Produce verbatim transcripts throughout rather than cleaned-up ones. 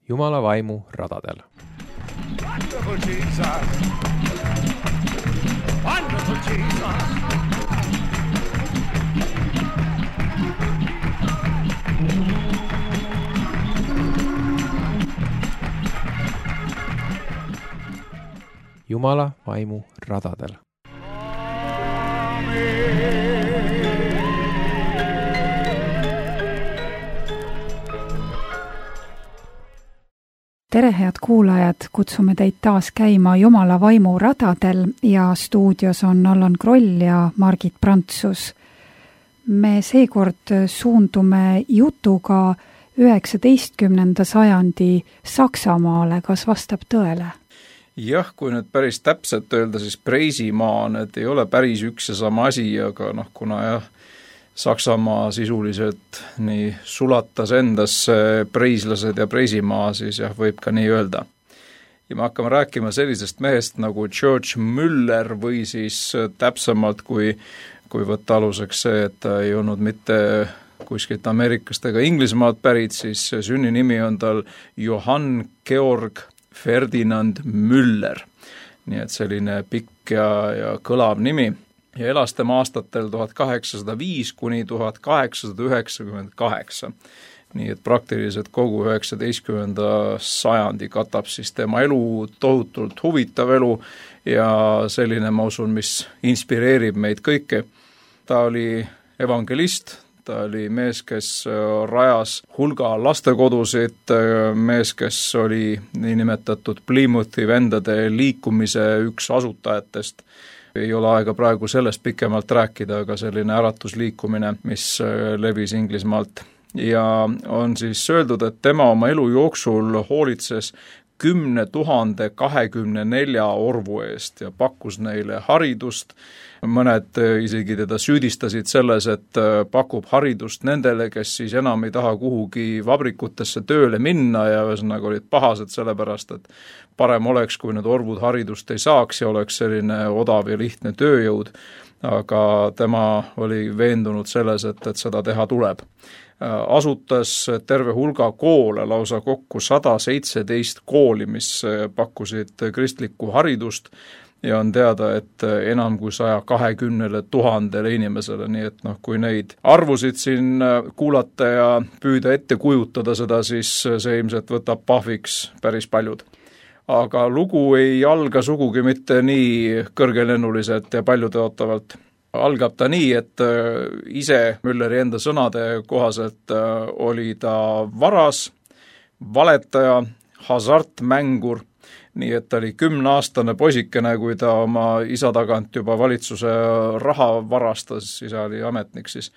Jumala vaimu radadel. Wonderful Jesus! Wonderful Jesus! Jumala vaimu radadel. Tere, head kuulajad, kutsume teid taas käima Jumala vaimu radadel ja stuudios on Allan Kroll ja Margit Prantsus. Me seekord suundume jutuga üheksateistkümnenda sajandi Saksamaale, kas vastab tõele? Jah, kui nüüd päris täpselt öelda, siis Preisimaa, need ei ole päris üks ja sama asi, aga noh, kuna jah, Saksamaa sisuliselt nii sulatas endasse preislased ja Preisimaa, siis jah, võib ka nii öelda. Ja me hakkame rääkima sellisest mehest nagu George Müller või siis täpsemalt, kui, kui võtta aluseks see, et ta ei olnud mitte kuskilt Ameerikast ega Inglismaalt pärit, siis sünninimi on tal Johann Georg Ferdinand Müller, nii et selline pikk ja, ja kõlav nimi ja elas tema aastatel tuhat kaheksasada viis kuni tuhat kaheksasada üheksakümmend kaheksa. Nii et praktiliselt kogu üheksateistkümnenda sajandi katab siis tema elu, tohutult huvitav elu ja selline, ma usun, mis inspireerib meid kõiki. Ta oli evangelist, ta oli mees, kes rajas hulga lastekodusid, mees, kes oli niinimetatud Plymouthi vendade liikumise üks asutajatest. Ei ole aega praegu sellest pikemalt rääkida, aga selline äratusliikumine, mis levis Inglismaalt. Ja on siis öeldud, et tema oma elu jooksul hoolitses kümne tuhande kahekümne nelja orvu eest ja pakkus neile haridust. Mõned isegi teda süüdistasid selles, et pakub haridust nendele, kes siis enam ei taha kuhugi vabrikutesse tööle minna ja ühesõnaga olid pahased sellepärast, et parem oleks, kui need orvud haridust ei saaks ja oleks selline odav ja lihtne tööjõud, aga tema oli veendunud selles, et, et seda teha tuleb. Asutas terve hulga koole, lausa kokku sada seitseteist kooli, mis pakkusid kristlikku haridust ja on teada, et enam kui saja kahekümnele tuhandele inimesele, nii et noh, kui neid arvusid siin kuulata ja püüda ette kujutada seda, siis see ilmselt võtab pahviks päris paljud. Aga lugu ei alga sugugi mitte nii kõrgelennuliselt ja paljutõotavalt. Algab ta nii, et ise Mülleri enda sõnade kohaselt oli ta varas, valetaja, hasartmängur, nii et ta oli kümneaastane poisikene, kui ta oma isa tagant juba valitsuse raha varastas, isa oli ametnik siis.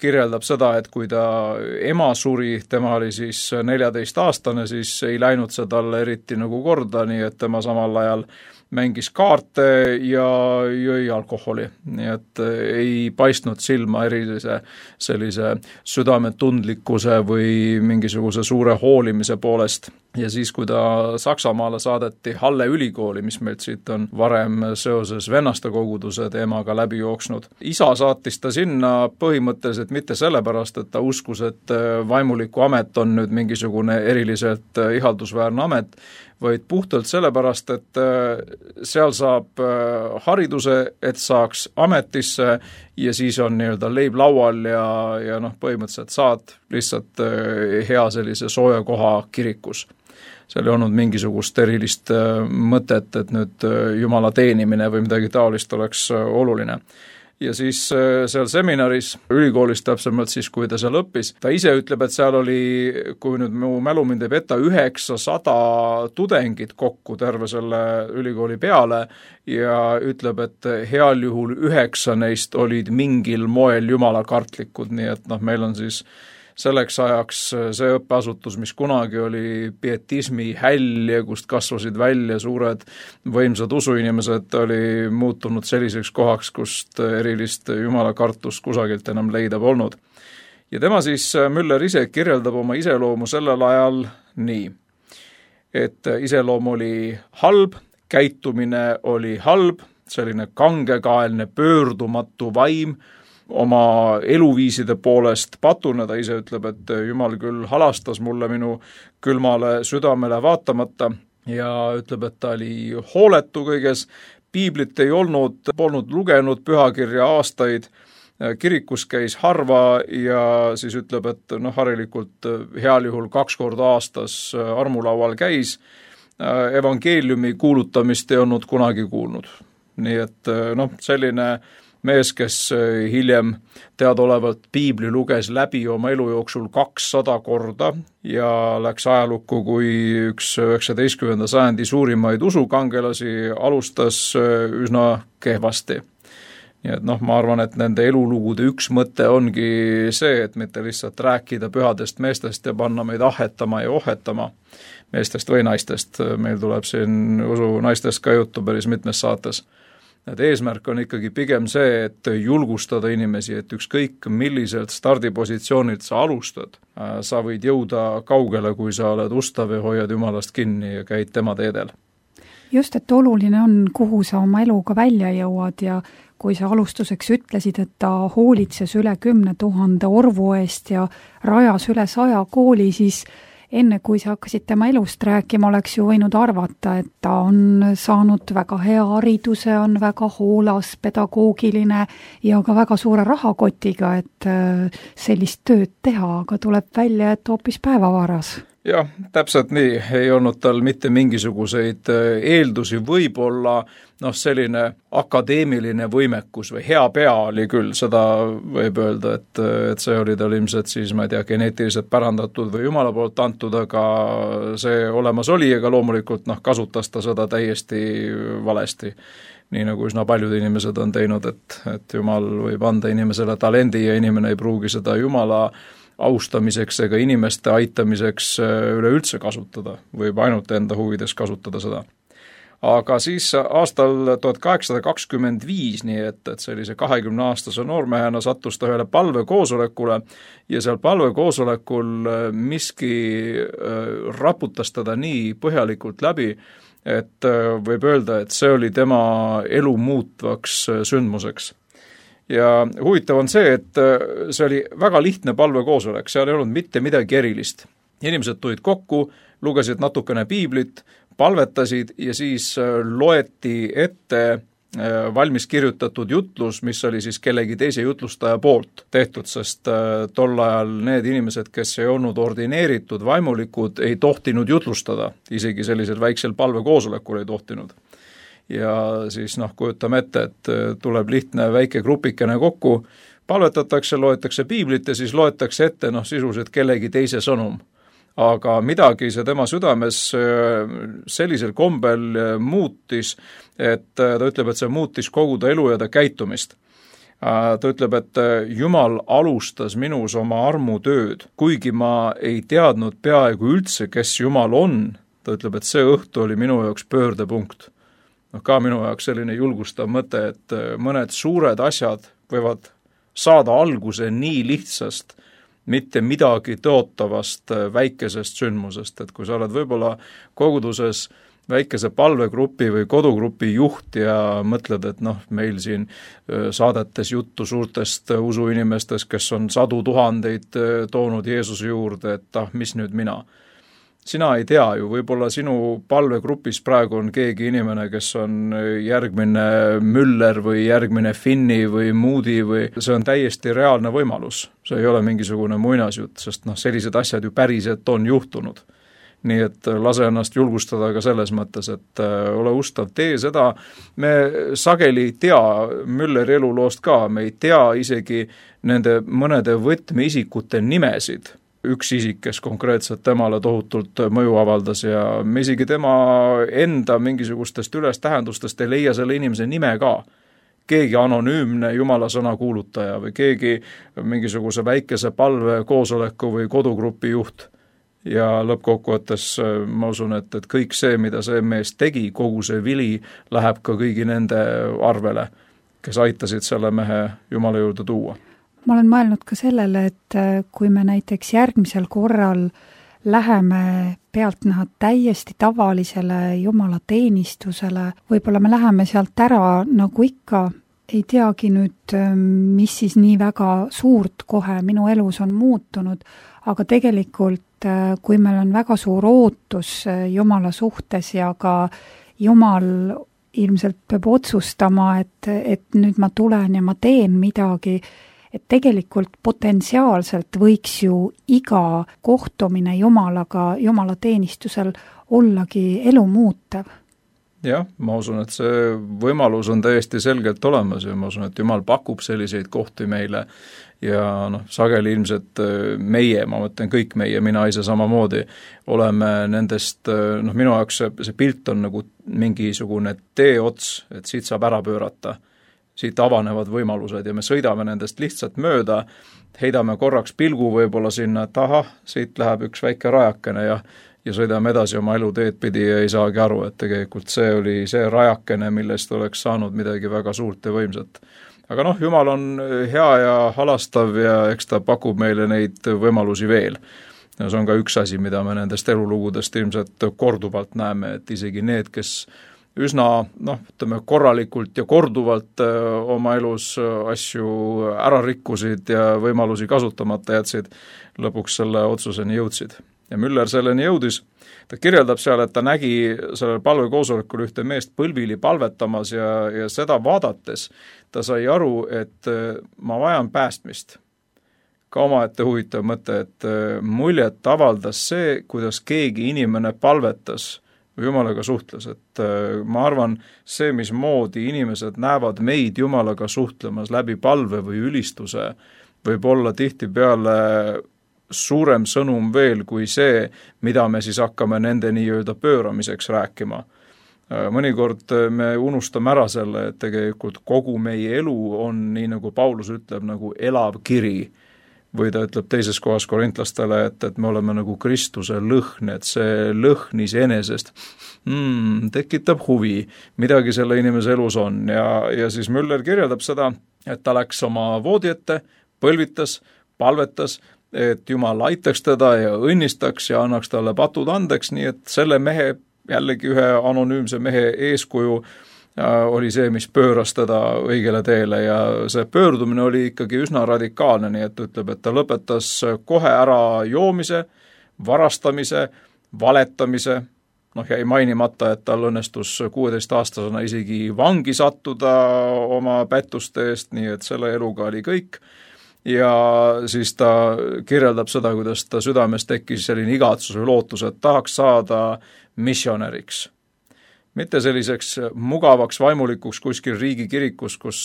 Kirjeldab seda, et kui ta ema suri, tema oli siis neljateistaastane, siis ei läinud see talle eriti nagu korda, nii et tema samal ajal mängis kaarte ja jõi alkoholi, nii et ei paistnud silma erilise sellise südametundlikkuse või mingisuguse suure hoolimise poolest. Ja siis, kui ta Saksamaale saadeti Halle ülikooli, mis meilt siit on varem seoses vennaste koguduse teemaga läbi jooksnud. Isa saatis ta sinna põhimõtteliselt mitte sellepärast, et ta uskus, et vaimuliku amet on nüüd mingisugune eriliselt ihaldusväärne amet, vaid puhtalt sellepärast, et seal saab hariduse, et saaks ametisse ja siis on nii-öelda leib laual ja, ja noh, põhimõtteliselt saad lihtsalt hea sellise sooja koha kirikus. Seal ei olnud mingisugust erilist mõtet, et nüüd Jumala teenimine või midagi taolist oleks oluline. Ja siis seal seminaris, ülikoolis täpsemalt siis, kui ta seal õppis, ta ise ütleb, et seal oli, kui nüüd mu mälu mind ei peta, üheksasada tudengit kokku terve selle ülikooli peale ja ütleb, et heal juhul üheksa neist olid mingil moel jumalakartlikud, nii et noh, meil on siis selleks ajaks see õppeasutus, mis kunagi oli pietismi häll ja kust kasvasid välja suured võimsad usuinimesed, oli muutunud selliseks kohaks, kust erilist jumalakartust kusagilt enam leida polnud. Ja tema siis, Müller ise kirjeldab oma iseloomu sellel ajal nii, et iseloom oli halb, käitumine oli halb, selline kangekaelne pöördumatu vaim oma eluviiside poolest patune, ta ise ütleb, et Jumal küll halastas mulle minu külmale südamele vaatamata ja ütleb, et ta oli hooletu kõiges, piiblit ei olnud, polnud lugenud pühakirja aastaid, kirikus käis harva ja siis ütleb, et noh, harilikult heal juhul kaks korda aastas armulaual käis, evangeeliumi kuulutamist ei olnud kunagi kuulnud. Nii et noh, selline mees, kes hiljem teadaolevalt piibli luges läbi oma elu jooksul kakssada korda ja läks ajalukku kui üks üheksateistkümnenda sajandi suurimaid usukangelasi, alustas üsna kehvasti. Nii et noh, ma arvan, et nende elulugude üks mõte ongi see, et mitte lihtsalt rääkida pühadest meestest ja panna meid ahetama ja ohetama meestest või naistest. Meil tuleb siin usu naistest ka juttu päris mitmes saates. Et eesmärk on ikkagi pigem see, et julgustada inimesi, et ükskõik milliselt stardipositsioonilt sa alustad, sa võid jõuda kaugele, kui sa oled ustav ja hoiad Jumalast kinni ja käid tema teedel. Just, et oluline on, kuhu sa oma eluga välja jõuad ja kui sa alustuseks ütlesid, et ta hoolitses üle kümne tuhande orvu eest ja rajas üle saja kooli, siis enne kui sa hakkasid tema elust rääkima, oleks ju võinud arvata, et ta on saanud väga hea hariduse, on väga hoolas, pedagoogiline ja ka väga suure rahakotiga, et sellist tööd teha, aga tuleb välja, et hoopis päevavaras. Jah, täpselt nii, ei olnud tal mitte mingisuguseid eeldusi, võib-olla noh, selline akadeemiline võimekus või hea pea oli küll, seda võib öelda, et, et see oli tal ilmselt siis, ma ei tea, geneetiliselt pärandatud või Jumala poolt antud, aga see olemas oli, aga loomulikult noh, kasutas ta seda täiesti valesti. Nii nagu üsna paljud inimesed on teinud, et, et Jumal võib anda inimesele talendi ja inimene ei pruugi seda Jumala austamiseks ega inimeste aitamiseks üleüldse kasutada, võib ainult enda huvides kasutada seda. Aga siis aastal tuhat kaheksasada kakskümmend viis, nii et, et sellise kahekümne aastase noormehena sattus ta ühele palvekoosolekule ja seal palvekoosolekul miski raputas teda nii põhjalikult läbi, et võib öelda, et see oli tema elu muutvaks sündmuseks. Ja huvitav on see, et see oli väga lihtne palvekoosolek, seal ei olnud mitte midagi erilist. Inimesed tulid kokku, lugesid natukene piiblit, palvetasid ja siis loeti ette valmis kirjutatud jutlus, mis oli siis kellegi teise jutlustaja poolt tehtud, sest tol ajal need inimesed, kes ei olnud ordineeritud vaimulikud, ei tohtinud jutlustada, isegi sellisel väiksel palvekoosolekul ei tohtinud. Ja siis noh, kujutame ette, et tuleb lihtne väike grupikene kokku, palvetatakse, loetakse piiblit ja siis loetakse ette noh, sisuliselt kellegi teise sõnum. Aga midagi see tema südames sellisel kombel muutis, et ta ütleb, et see muutis kogu ta elu ja ta käitumist. Ta ütleb, et Jumal alustas minus oma armutööd, kuigi ma ei teadnud peaaegu üldse, kes Jumal on. Ta ütleb, et see õhtu oli minu jaoks pöördepunkt. No, ka minu jaoks selline julgustav mõte, et mõned suured asjad võivad saada alguse nii lihtsast, mitte midagi tõotavast väikesest sündmusest, et kui sa oled võib-olla koguduses väikese palvegrupi või kodugrupi juht ja mõtled, et noh, meil siin saadetes juttu suurtest usuinimestest, kes on sadu tuhandeid toonud Jeesuse juurde, et ah, mis nüüd mina? Sina ei tea ju, võib-olla sinu palvegrupis praegu on keegi inimene, kes on järgmine Müller või järgmine Finni või Moody või see on täiesti reaalne võimalus. See ei ole mingisugune muinasjutt, sest noh, sellised asjad ju päriselt on juhtunud. Nii et lase ennast julgustada ka selles mõttes, et ole ustav, tee seda. Me sageli ei tea Mülleri eluloost ka, me ei tea isegi nende mõnede võtmeisikute nimesid. Üks isik, kes konkreetselt temale tohutult mõju avaldas ja me isegi tema enda mingisugustest ülestähendustest ei leia selle inimese nime ka. Keegi anonüümne Jumala sõna kuulutaja või keegi mingisuguse väikese palve koosoleku või kodugrupi juht. Ja lõppkokkuvõttes ma usun, et, et kõik see, mida see mees tegi, kogu see vili läheb ka kõigi nende arvele, kes aitasid selle mehe Jumala juurde tuua. Ma olen mõelnud ka sellele, et kui me näiteks järgmisel korral läheme pealtnäha täiesti tavalisele Jumala teenistusele, võib-olla me läheme sealt ära nagu ikka ei teagi nüüd, mis siis nii väga suurt kohe minu elus on muutunud, aga tegelikult, kui meil on väga suur ootus Jumala suhtes ja ka Jumal ilmselt peab otsustama, et, et nüüd ma tulen ja ma teen midagi, et tegelikult potentsiaalselt võiks ju iga kohtumine Jumalaga, Jumala teenistusel ollagi elu muutev. Jah, ma usun, et see võimalus on täiesti selgelt olemas ja ma usun, et Jumal pakub selliseid kohti meile ja noh, sageli ilmselt meie, ma mõtlen kõik meie, mina ise samamoodi, oleme nendest, noh minu jaoks see, see pilt on nagu mingisugune teeots, et siit saab ära pöörata, siit avanevad võimalused ja me sõidame nendest lihtsalt mööda, heidame korraks pilgu võib-olla sinna, et ahah, siit läheb üks väike rajakene ja ja sõidame edasi oma eluteed pidi ja ei saagi aru, et tegelikult see oli see rajakene, millest oleks saanud midagi väga suurt ja võimsat. Aga noh, Jumal on hea ja halastav ja eks ta pakub meile neid võimalusi veel. Ja see on ka üks asi, mida me nendest elulugudest ilmselt korduvalt näeme, et isegi need, kes üsna, noh, ütleme korralikult ja korduvalt oma elus asju ära rikkusid ja võimalusi kasutamata jätsid, lõpuks selle otsuseni jõudsid. Ja Müller selleni jõudis, ta kirjeldab seal, et ta nägi sellel palvekoosolekul ühte meest põlvili palvetamas ja, ja seda vaadates ta sai aru, et ma vajan päästmist. Ka omaette huvitav mõte, et muljet avaldas see, kuidas keegi inimene palvetas või Jumalaga suhtles, et ma arvan, see, mismoodi inimesed näevad meid Jumalaga suhtlemas läbi palve või ülistuse, võib olla tihtipeale suurem sõnum veel kui see, mida me siis hakkame nende nii-öelda pööramiseks rääkima. Mõnikord me unustame ära selle, et tegelikult kogu meie elu on, nii nagu Paulus ütleb, nagu elav kiri. Või ta ütleb teises kohas korintlastele, et, et me oleme nagu Kristuse lõhn, et see lõhn iseenesest mm, tekitab huvi, midagi selle inimese elus on. Ja, ja siis Müller kirjeldab seda, et ta läks oma voodi ette, põlvitas, palvetas, et Jumal aitaks teda ja õnnistaks ja annaks talle patud andeks, nii et selle mehe, jällegi ühe anonüümse mehe eeskuju oli see, mis pööras teda õigele teele ja see pöördumine oli ikkagi üsna radikaalne, nii et ütleb, et ta lõpetas kohe ära joomise, varastamise, valetamise, noh jäi mainimata, et tal õnnestus kuueteistaastasena isegi vangi sattuda oma pättuste eest, nii et selle eluga oli kõik. Ja siis ta kirjeldab seda, kuidas ta südames tekkis selline igatsus või lootus, et tahaks saada missionäriks. Mitte selliseks mugavaks vaimulikuks kuskil riigikirikus, kus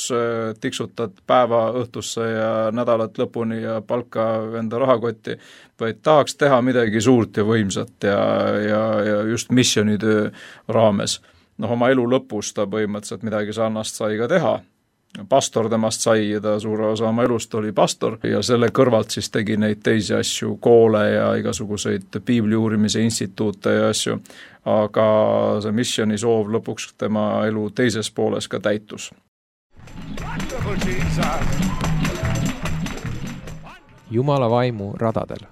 tiksutad päeva õhtusse ja nädalat lõpuni ja palka enda rahakotti, vaid tahaks teha midagi suurt ja võimsat ja, ja, ja just missionitöö raames. Noh, oma elu lõpus ta põhimõtteliselt midagi sarnast sai ka teha. Pastor temast sai ja ta suure osa oma elust oli pastor ja selle kõrvalt siis tegi neid teisi asju, koole ja igasuguseid piibli uurimise instituute ja asju, aga see missioni soov lõpuks tema elu teises pooles ka täitus. Jumala vaimu radadel.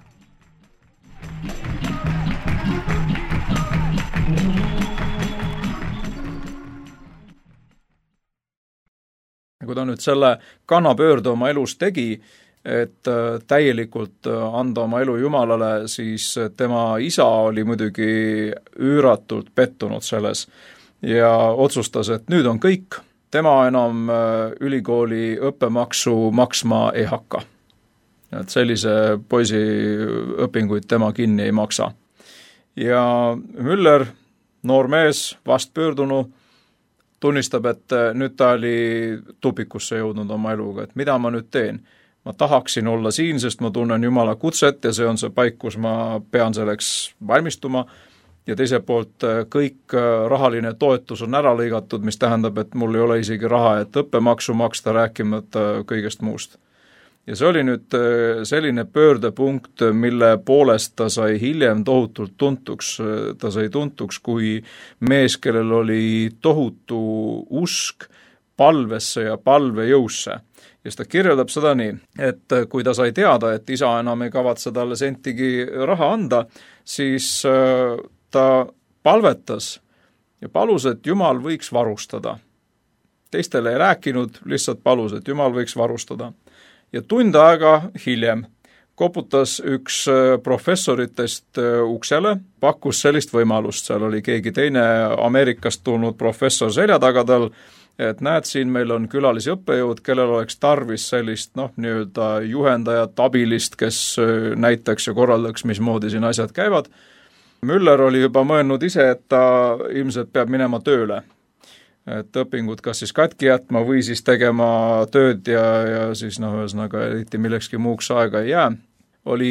Kui ta nüüd selle kannapöörde oma elus tegi, et täielikult anda oma elu Jumalale, siis tema isa oli muidugi üüratult pettunud selles ja otsustas, et nüüd on kõik, tema enam ülikooli õppemaksu maksma ei hakka. Et sellise poisi õpinguid tema kinni ei maksa. Ja Müller, noor mees, vast pöördunu, tunnistab, et nüüd ta oli tupikusse jõudnud oma eluga, et mida ma nüüd teen? Ma tahaksin olla siin, sest ma tunnen Jumala kutset ja see on see paik, kus ma pean selleks valmistuma. Ja teiselt poolt kõik rahaline toetus on ära lõigatud, mis tähendab, et mul ei ole isegi raha, et õppemaksu maksta, rääkimata kõigest muust. Ja see oli nüüd selline pöördepunkt, mille poolest ta sai hiljem tohutult tuntuks. Ta sai tuntuks kui mees, kellel oli tohutu usk palvesse ja palvejõusse. Ja ta kirjeldab seda nii, et kui ta sai teada, et isa enam ei kavatse talle sentigi raha anda, siis ta palvetas ja palus, et Jumal võiks varustada. teistele ei rääkinud, lihtsalt palus, et Jumal võiks varustada. Ja tund aega hiljem koputas üks professoritest uksele, pakkus sellist võimalust, seal oli keegi teine Ameerikast tulnud professor selja taga tal, et näed, siin meil on külalisi õppejõud, kellel oleks tarvis sellist noh, nii-öelda juhendajat, abilist, kes näitaks ja korraldaks, mismoodi siin asjad käivad. Müller oli juba mõelnud ise, et ta ilmselt peab minema tööle. Et õpingud kas siis katki jätma või siis tegema tööd ja, ja siis noh, ühesõnaga eriti millekski muuks aega ei jää. Oli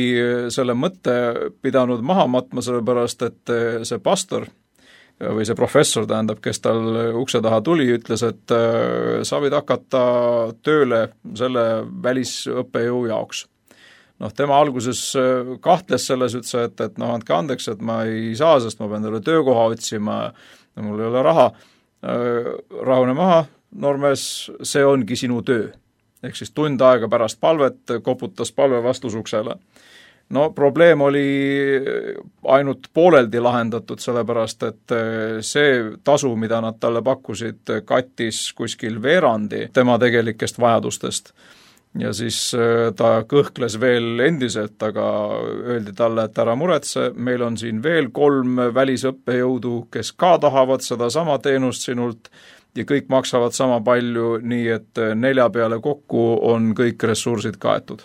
selle mõtte pidanud maha matma, sellepärast et see pastor või see professor, tähendab, kes tal ukse taha tuli, ütles, et sa võid hakata tööle selle välisõppejõu jaoks. Noh, tema alguses kahtles selles, ütles, et, et noh, andke andeks, et ma ei saa, sest ma pean talle töökoha otsima, mul ei ole raha. Rahune maha, noormees, see ongi sinu töö. Ehk siis tund aega pärast palvet koputas palve vastusuksele. No probleem oli ainult pooleldi lahendatud, sellepärast et see tasu, mida nad talle pakkusid, kattis kuskil veerandi tema tegelikest vajadustest. Ja siis ta kõhkles veel endiselt, aga öeldi talle, et ära muretse, meil on siin veel kolm välisõppejõudu, kes ka tahavad seda sama teenust sinult ja kõik maksavad sama palju, nii et nelja peale kokku on kõik ressursid kaetud.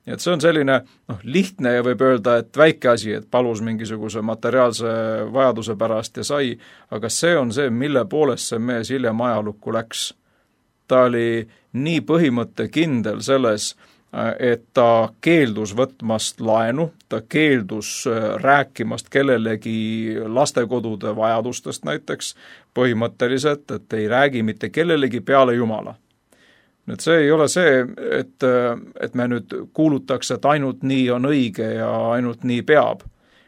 Et see on selline noh, lihtne ja võib öelda, et väike asi, et palus mingisuguse materiaalse vajaduse pärast ja sai, aga see on see, mille poolest see mees hiljem ajalukku läks. Ta oli nii põhimõtte kindel selles, et ta keeldus võtmast laenu, ta keeldus rääkimast kellelegi lastekodude vajadustest näiteks põhimõtteliselt, et ei räägi mitte kellelegi peale Jumala. Nüüd see ei ole see, et, et me nüüd kuulutaks, et ainult nii on õige ja ainult nii peab.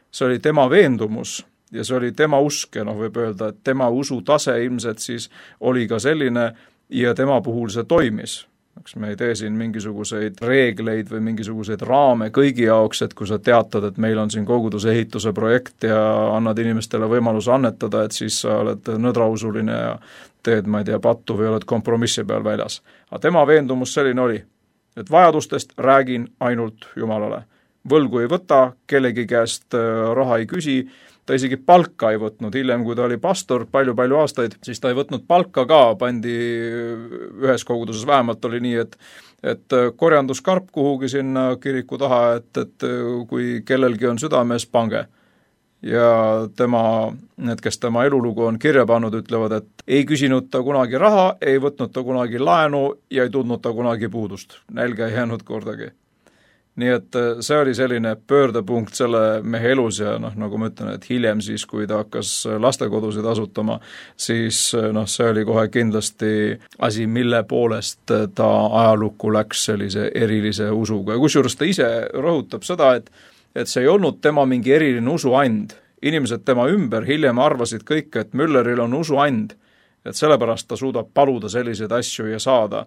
See oli tema veendumus ja see oli tema usk ja noh, võib öelda, et tema usu tase ilmselt siis oli ka selline ja tema puhul see toimis. Eks me ei tee siin mingisuguseid reegleid või mingisuguseid raame kõigi jaoks, et kui sa teatad, et meil on siin koguduse ehituse projekt ja annad inimestele võimaluse annetada, et siis sa oled nõdrausuline ja teed, ma ei tea, pattu või oled kompromissi peal väljas. Aga tema veendumus selline oli, et vajadustest räägin ainult Jumalale. Võlgu ei võta, kellegi käest raha ei küsi, ta isegi palka ei võtnud, hiljem kui ta oli pastor palju-palju aastaid, siis ta ei võtnud palka ka, pandi ühes koguduses vähemalt oli nii, et, et korjanduskarp kuhugi sinna kiriku taha, et, et kui kellelgi on südames, pange. Ja tema, need, kes tema elulugu on kirja pannud, ütlevad, et ei küsinud ta kunagi raha, ei võtnud ta kunagi laenu ja ei tundnud ta kunagi puudust. Nälga ei jäänud kordagi. Nii et see oli selline pöördepunkt selle mehe elus ja noh, nagu ma ütlen, et hiljem siis, kui ta hakkas lastekodusid asutama, siis noh, see oli kohe kindlasti asi, mille poolest ta ajalukku läks sellise erilise usuga. Ja kusjuures ta ise rõhutab seda, et, et see ei olnud tema mingi eriline usuand. Inimesed tema ümber hiljem arvasid kõik, et Mülleril on usuand, et sellepärast ta suudab paluda selliseid asju ja saada.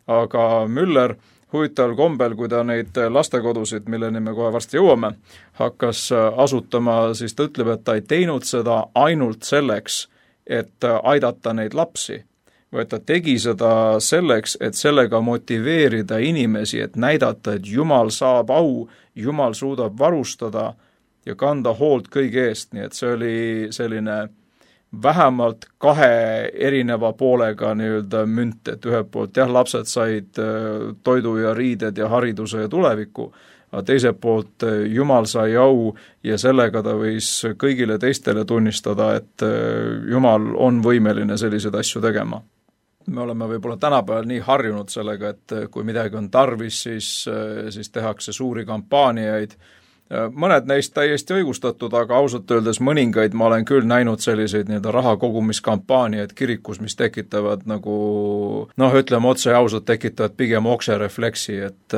Aga Müller huvitaval kombel, kui ta neid lastekodusid, milleni me kohe varsti jõuame, hakkas asutama, siis ta ütleb, et ta ei teinud seda ainult selleks, et aidata neid lapsi, vaid ta tegi seda selleks, et sellega motiveerida inimesi, et näidata, et Jumal saab au, Jumal suudab varustada ja kanda hoolt kõige eest, nii et see oli selline vähemalt kahe erineva poolega nii-öelda münt, et ühelt poolt jah, lapsed said toidu ja riided ja hariduse ja tuleviku, aga teiselt poolt Jumal sai au ja sellega ta võis kõigile teistele tunnistada, et Jumal on võimeline selliseid asju tegema. Me oleme võib-olla tänapäeval nii harjunud sellega, et kui midagi on tarvis, siis, siis tehakse suuri kampaaniaid. Mõned neist täiesti õigustatud, aga ausalt öeldes mõningaid ma olen küll näinud selliseid nii-öelda raha kogumiskampaaniaid kirikus, mis tekitavad nagu, noh, ütleme otse ja ausalt, tekitavad pigem okserefleksi, et,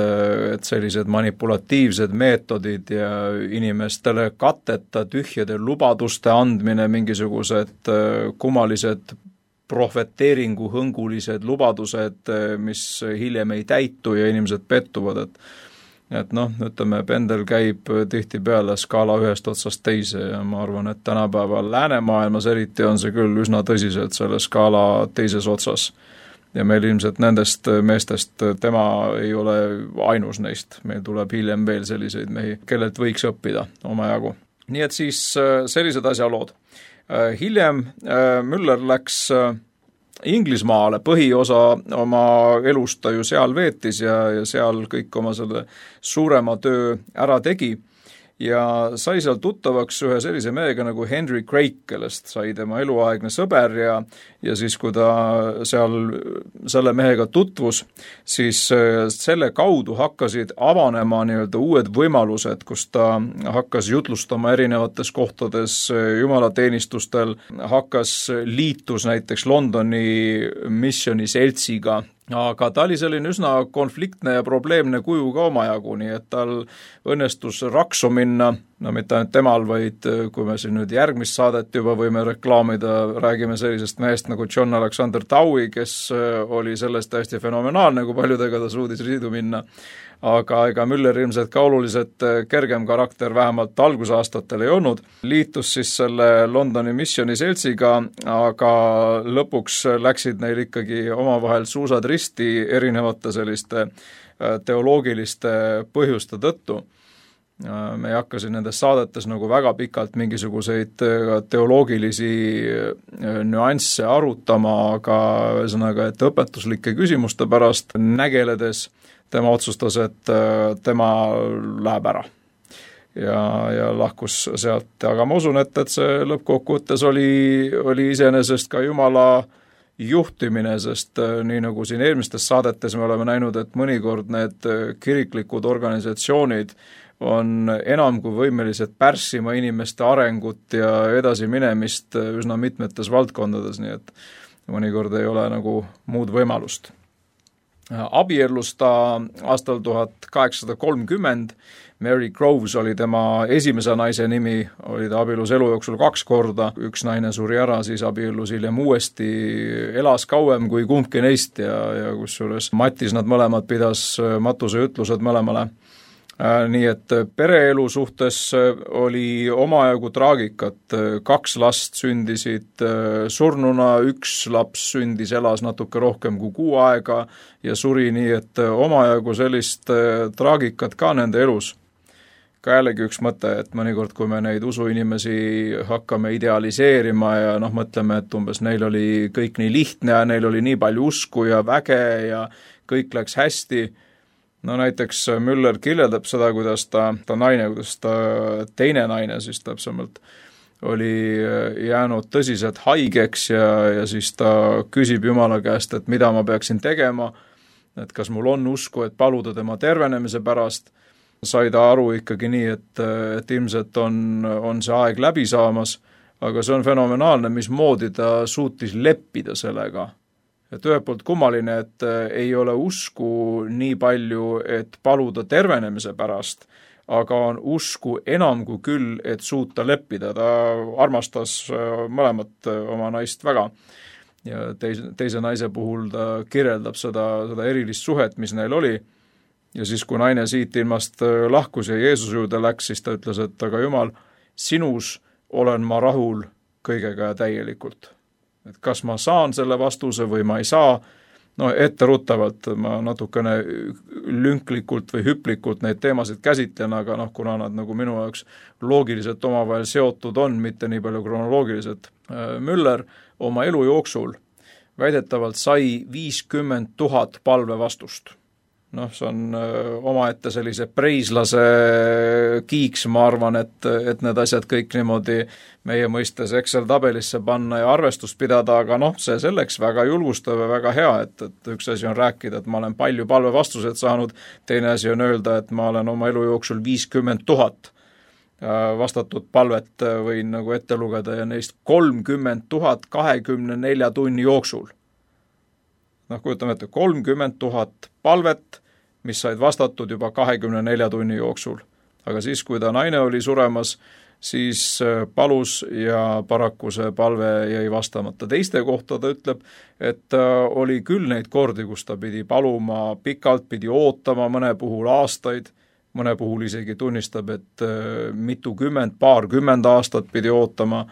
et sellised manipulatiivsed meetodid ja inimestele katteta tühjade lubaduste andmine, mingisugused kummalised profeteeringu hõngulised lubadused, mis hiljem ei täitu ja inimesed pettuvad, et et noh, ütleme, pendel käib tihtipeale skaala ühest otsast teise ja ma arvan, et tänapäeval läänemaailmas eriti on see küll üsna tõsiselt selle skaala teises otsas. Ja meil ilmselt nendest meestest tema ei ole ainus neist, meil tuleb hiljem veel selliseid mehi, kellelt võiks õppida omajagu. Nii et siis sellised asjalood. Hiljem Müller läks Inglismaale, põhiosa oma elust ta ju seal veetis ja, ja seal kõik oma selle suurema töö ära tegi ja sai seal tuttavaks ühe sellise mehega nagu Henry Craik, kellest sai tema eluaegne sõber ja, ja siis kui ta seal selle mehega tutvus, siis selle kaudu hakkasid avanema nii-öelda uued võimalused, kus ta hakkas jutlustama erinevates kohtades jumalateenistustel, hakkas liitus näiteks Londoni missioni seltsiga, aga ta oli selline üsna konfliktne ja probleemne kuju ka omajagu, nii et tal õnnestus raksu minna, no mitte ainult temal, vaid kui me siin nüüd järgmist saadet juba võime reklaamida, räägime sellisest mehest nagu John Alexander Dowie, kes oli sellest täiesti fenomenaalne, kui paljudega ta suudis riidu minna. Aga ega Müller ilmselt ka oluliselt kergem karakter vähemalt algusaastatel ei olnud. Liitus siis selle Londoni missioni seltsiga, aga lõpuks läksid neil ikkagi omavahel suusad risti erinevate selliste teoloogiliste põhjuste tõttu. Me ei hakka siin nendes saadetes nagu väga pikalt mingisuguseid teoloogilisi nüansse arutama, aga ühesõnaga, et õpetuslike küsimuste pärast nägeledes tema otsustas, et tema läheb ära ja, ja lahkus sealt, aga ma usun, et, et see lõppkokkuvõttes oli, oli iseenesest ka Jumala juhtimine, sest nii nagu siin eelmistes saadetes me oleme näinud, et mõnikord need kiriklikud organisatsioonid on enam kui võimelised pärssima inimeste arengut ja edasiminemist üsna mitmetes valdkondades, nii et mõnikord ei ole nagu muud võimalust. Abiellus ta aastal tuhat kaheksasada kolmkümmend, Mary Groves oli tema esimese naise nimi, oli ta abiellus elu jooksul kaks korda, üks naine suri ära, siis abiellus hiljem uuesti, elas kauem kui kumbki neist ja, ja kusjuures Matis nad mõlemad pidas matuse ütlused mõlemale. Nii et pereelu suhtes oli omajagu traagikat, kaks last sündisid surnuna, üks laps sündis, elas natuke rohkem kui kuu aega ja suri, nii et omajagu sellist traagikat ka nende elus. Ka jällegi üks mõte, et mõnikord, kui me neid usuinimesi hakkame idealiseerima ja noh, mõtleme, et umbes neil oli kõik nii lihtne ja neil oli nii palju usku ja väge ja kõik läks hästi. No näiteks Müller kirjeldab seda, kuidas ta, ta naine, kuidas ta teine naine siis täpsemalt oli jäänud tõsiselt haigeks ja, ja siis ta küsib Jumala käest, et mida ma peaksin tegema, et kas mul on usku, et paluda tema tervenemise pärast. Sai ta aru ikkagi nii, et, et ilmselt on, on see aeg läbi saamas, aga see on fenomenaalne, mismoodi ta suutis leppida sellega. Et ühelt poolt kummaline, et ei ole usku nii palju, et paluda tervenemise pärast, aga on usku enam kui küll, et suuta leppida. Ta armastas mõlemat oma naist väga ja teise, teise naise puhul ta kirjeldab seda, seda erilist suhet, mis neil oli. Ja siis, kui naine siit ilmast lahkus ja Jeesus juurde läks, siis ta ütles, et aga Jumal, sinus olen ma rahul kõigega ja täielikult. Et kas ma saan selle vastuse või ma ei saa, no etteruttavalt ma natukene lünklikult või hüplikult neid teemasid käsitlen, aga noh, kuna nad nagu minu jaoks loogiliselt omavahel seotud on, mitte nii palju kronoloogiliselt. Müller oma elu jooksul väidetavalt sai viiskümmend tuhat palve vastust. Noh, see on omaette sellise preislase kiiks, ma arvan, et, et need asjad kõik niimoodi meie mõistes Excel-tabelisse panna ja arvestust pidada, aga noh, see selleks väga julgustav ja väga hea, et, et üks asi on rääkida, et ma olen palju palve vastused saanud, teine asi on öelda, et ma olen oma elu jooksul viiskümmend tuhat vastatud palvet võin nagu ette lugeda ja neist kolmkümmend tuhat kahekümne nelja tunni jooksul. Noh, kujutame ette, kolmkümmend tuhat palvet, mis said vastatud juba kahekümne nelja tunni jooksul. Aga siis, kui ta naine oli suremas, siis palus ja paraku see palve jäi vastamata. Teiste kohta ta ütleb, et oli küll neid kordi, kus ta pidi paluma pikalt, pidi ootama mõne puhul aastaid, mõne puhul isegi tunnistab, et mitukümmend, paarkümmend aastat pidi ootama,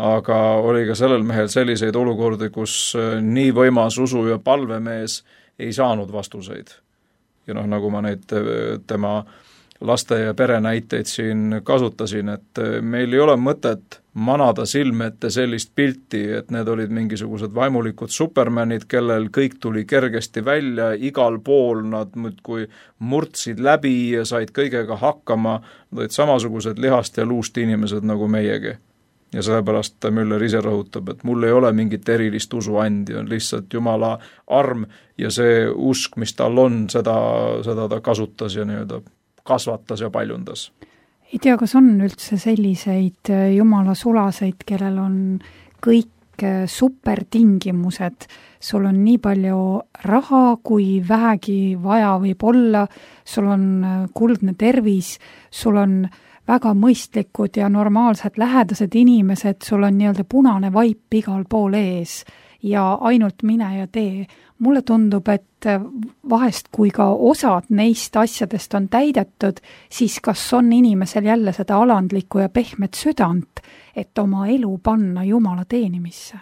aga oli ka sellel mehel selliseid olukordi, kus nii võimas usu- ja palvemees ei saanud vastuseid. Ja noh, nagu ma neid tema laste ja pere näiteid siin kasutasin, et meil ei ole mõtet manada silme ette sellist pilti, et need olid mingisugused vaimulikud supermanid, kellel kõik tuli kergesti välja, igal pool nad muudkui murtsid läbi ja said kõigega hakkama, nad olid samasugused lihast ja luust inimesed nagu meiegi. Ja sellepärast Müller ise rõhutab, et mul ei ole mingit erilist usuandi, on lihtsalt Jumala arm ja see usk, mis tal on, seda, seda ta kasutas ja nii-öelda kasvatas ja paljundas. Ei tea, kas on üldse selliseid Jumala sulaseid, kellel on kõik supertingimused, sul on nii palju raha, kui vähegi vaja võib olla, sul on kuldne tervis, sul on väga mõistlikud ja normaalsed lähedased inimesed, sul on nii-öelda punane vaip igal pool ees ja ainult mine ja tee. Mulle tundub, et vahest kui ka osad neist asjadest on täidetud, siis kas on inimesel jälle seda alandlikku ja pehmet südant, et oma elu panna Jumala teenimisse?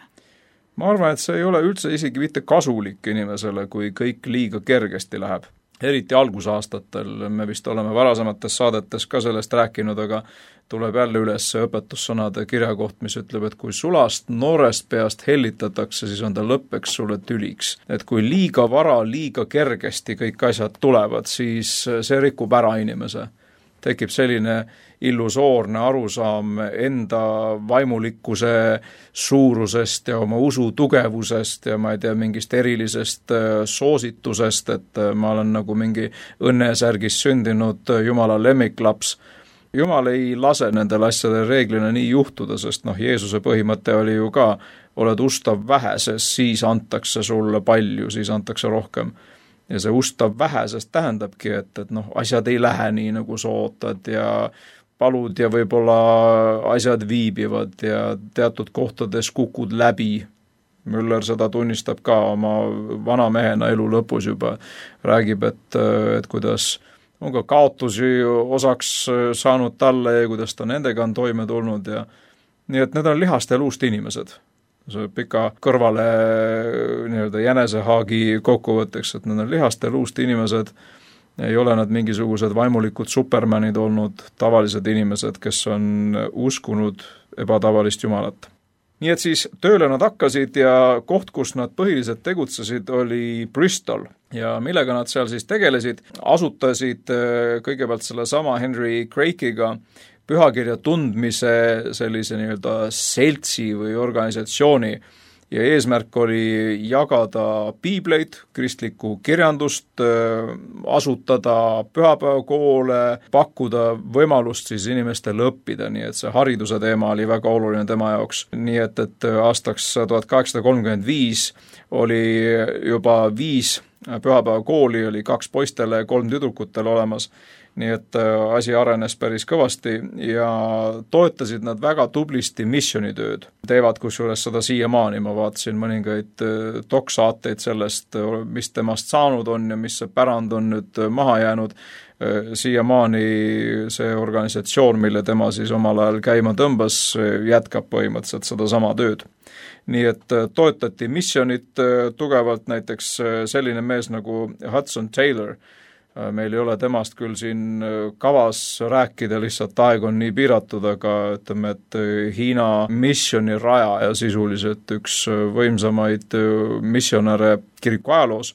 Ma arvan, et see ei ole üldse isegi mitte kasulik inimesele, kui kõik liiga kergesti läheb. Eriti algusaastatel, me vist oleme varasemates saadetes ka sellest rääkinud, aga tuleb jälle üles õpetussõnade kirjakoht, mis ütleb, et kui sulast noorest peast hellitatakse, siis on ta lõppeks sulle tüliks. Et kui liiga vara, liiga kergesti kõik asjad tulevad, siis see rikub ära inimese. Tekib selline illusoorne arusaam enda vaimulikkuse suurusest ja oma usu tugevusest ja ma ei tea, mingist erilisest soositusest, et ma olen nagu mingi õnnesärgis sündinud Jumala lemmiklaps. Jumal ei lase nendel asjadel reeglina nii juhtuda, sest noh, Jeesuse põhimõte oli ju ka, oled ustav väheses, siis antakse sulle palju, siis antakse rohkem. Ja see ustav vähesest tähendabki, et, et noh, asjad ei lähe nii, nagu sa ootad ja palud ja võib-olla asjad viibivad ja teatud kohtades kukud läbi. Müller seda tunnistab ka oma vana mehena elu lõpus juba. Räägib, et, et kuidas on ka kaotusi osaks saanud talle ja kuidas ta nendega on toime tulnud. Ja, nii et need on lihast ja luust inimesed. See pika kõrvale nii-öelda jänesehaagi kokkuvõtteks, et need on lihast ja luust inimesed, ei ole nad mingisugused vaimulikud supermanid olnud, tavalised inimesed, kes on uskunud ebatavalist Jumalat. Nii et siis tööle nad hakkasid ja koht, kus nad põhiliselt tegutsesid, oli Bristol. Ja millega nad seal siis tegelesid, asutasid kõigepealt selle sama Henry Craike'iga pühakirja tundmise sellise nii-öelda seltsi või organisatsiooni ja eesmärk oli jagada piibleid, kristlikku kirjandust, asutada pühapäevakoole, pakkuda võimalust siis inimestele õppida, nii et see hariduse teema oli väga oluline tema jaoks. Nii et, et aastaks tuhat kaheksasada kolmkümmend viis oli juba viis pühapäevakooli, oli kaks poistele ja kolm tüdrukutele olemas. Nii et asi arenes päris kõvasti ja toetasid nad väga tublisti missionitööd. Teevad kusjuures seda siiamaani, ma vaatasin mõningaid doksaateid sellest, mis temast saanud on ja mis see pärand on nüüd maha jäänud. Siiamaani see organisatsioon, mille tema siis omal ajal käima tõmbas, jätkab põhimõtteliselt seda sama tööd. Nii et toetati missionit tugevalt, näiteks selline mees nagu Hudson Taylor. Meil ei ole temast küll siin kavas rääkida, lihtsalt aeg on nii piiratud, aga ütleme, et Hiina missioni raja ja sisuliselt üks võimsamaid missionäre kiriku ajaloos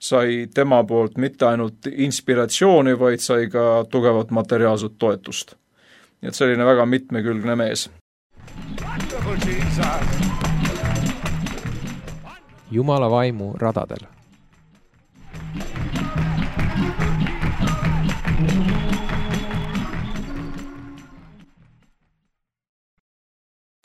sai tema poolt mitte ainult inspiratsiooni, vaid sai ka tugevat materiaalset toetust. Nii et selline väga mitmekülgne mees. Jumala vaimu radadel.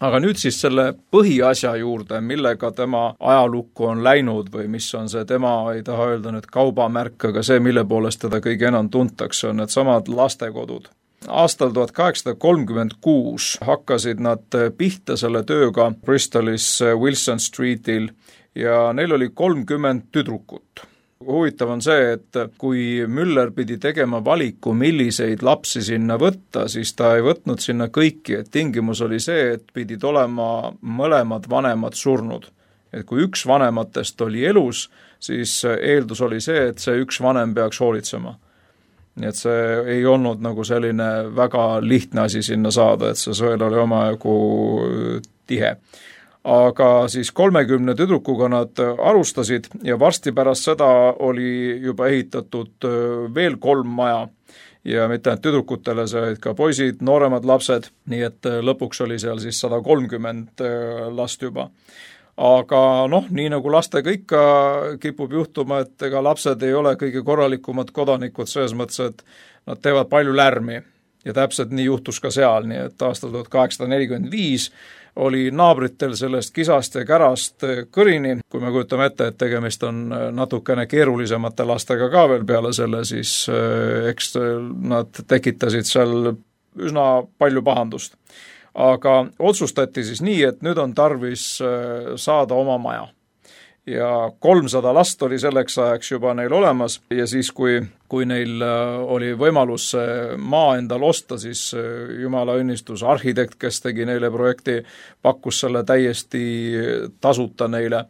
Aga nüüd siis selle põhiasja juurde, millega tema ajalukku on läinud või mis on see tema, ei taha öelda nüüd kaubamärk, aga see, mille poolest teda kõige enam tuntakse, on need samad lastekodud. Aastal tuhat kaheksasada kolmkümmend kuus hakkasid nad pihta selle tööga Bristolis Wilson Streetil ja neil oli kolmkümmend tüdrukut. huvitav on see, et kui Müller pidi tegema valiku, milliseid lapsi sinna võtta, siis ta ei võtnud sinna kõiki, et tingimus oli see, et pidid olema mõlemad vanemad surnud. Et kui üks vanematest oli elus, siis eeldus oli see, et see üks vanem peaks hoolitsema. Nii et see ei olnud nagu selline väga lihtne asi sinna saada, et see sõel oli omajagu tihe. Aga siis kolmekümne tüdrukuga nad alustasid ja varsti pärast seda oli juba ehitatud veel kolm maja ja mitte ainult tüdrukutele, see olid ka poisid, nooremad lapsed, nii et lõpuks oli seal siis sada kolmkümmend last juba. Aga noh, nii nagu lastega ikka kipub juhtuma, et ega lapsed ei ole kõige korralikumad kodanikud selles mõttes, et nad teevad palju lärmi ja täpselt nii juhtus ka seal, nii et aastal tuhat kaheksasada nelikümmend viis oli naabritel sellest kisast ja kärast kõrini, kui me kujutame ette, et tegemist on natukene keerulisemate lastega ka veel peale selle, siis eks nad tekitasid seal üsna palju pahandust. Aga otsustati siis nii, et nüüd on tarvis saada oma maja. Ja kolmsada last oli selleks ajaks juba neil olemas ja siis, kui, kui neil oli võimalus maa endal osta, siis jumala õnnistus arhitekt, kes tegi neile projekti, pakkus selle täiesti tasuta neile.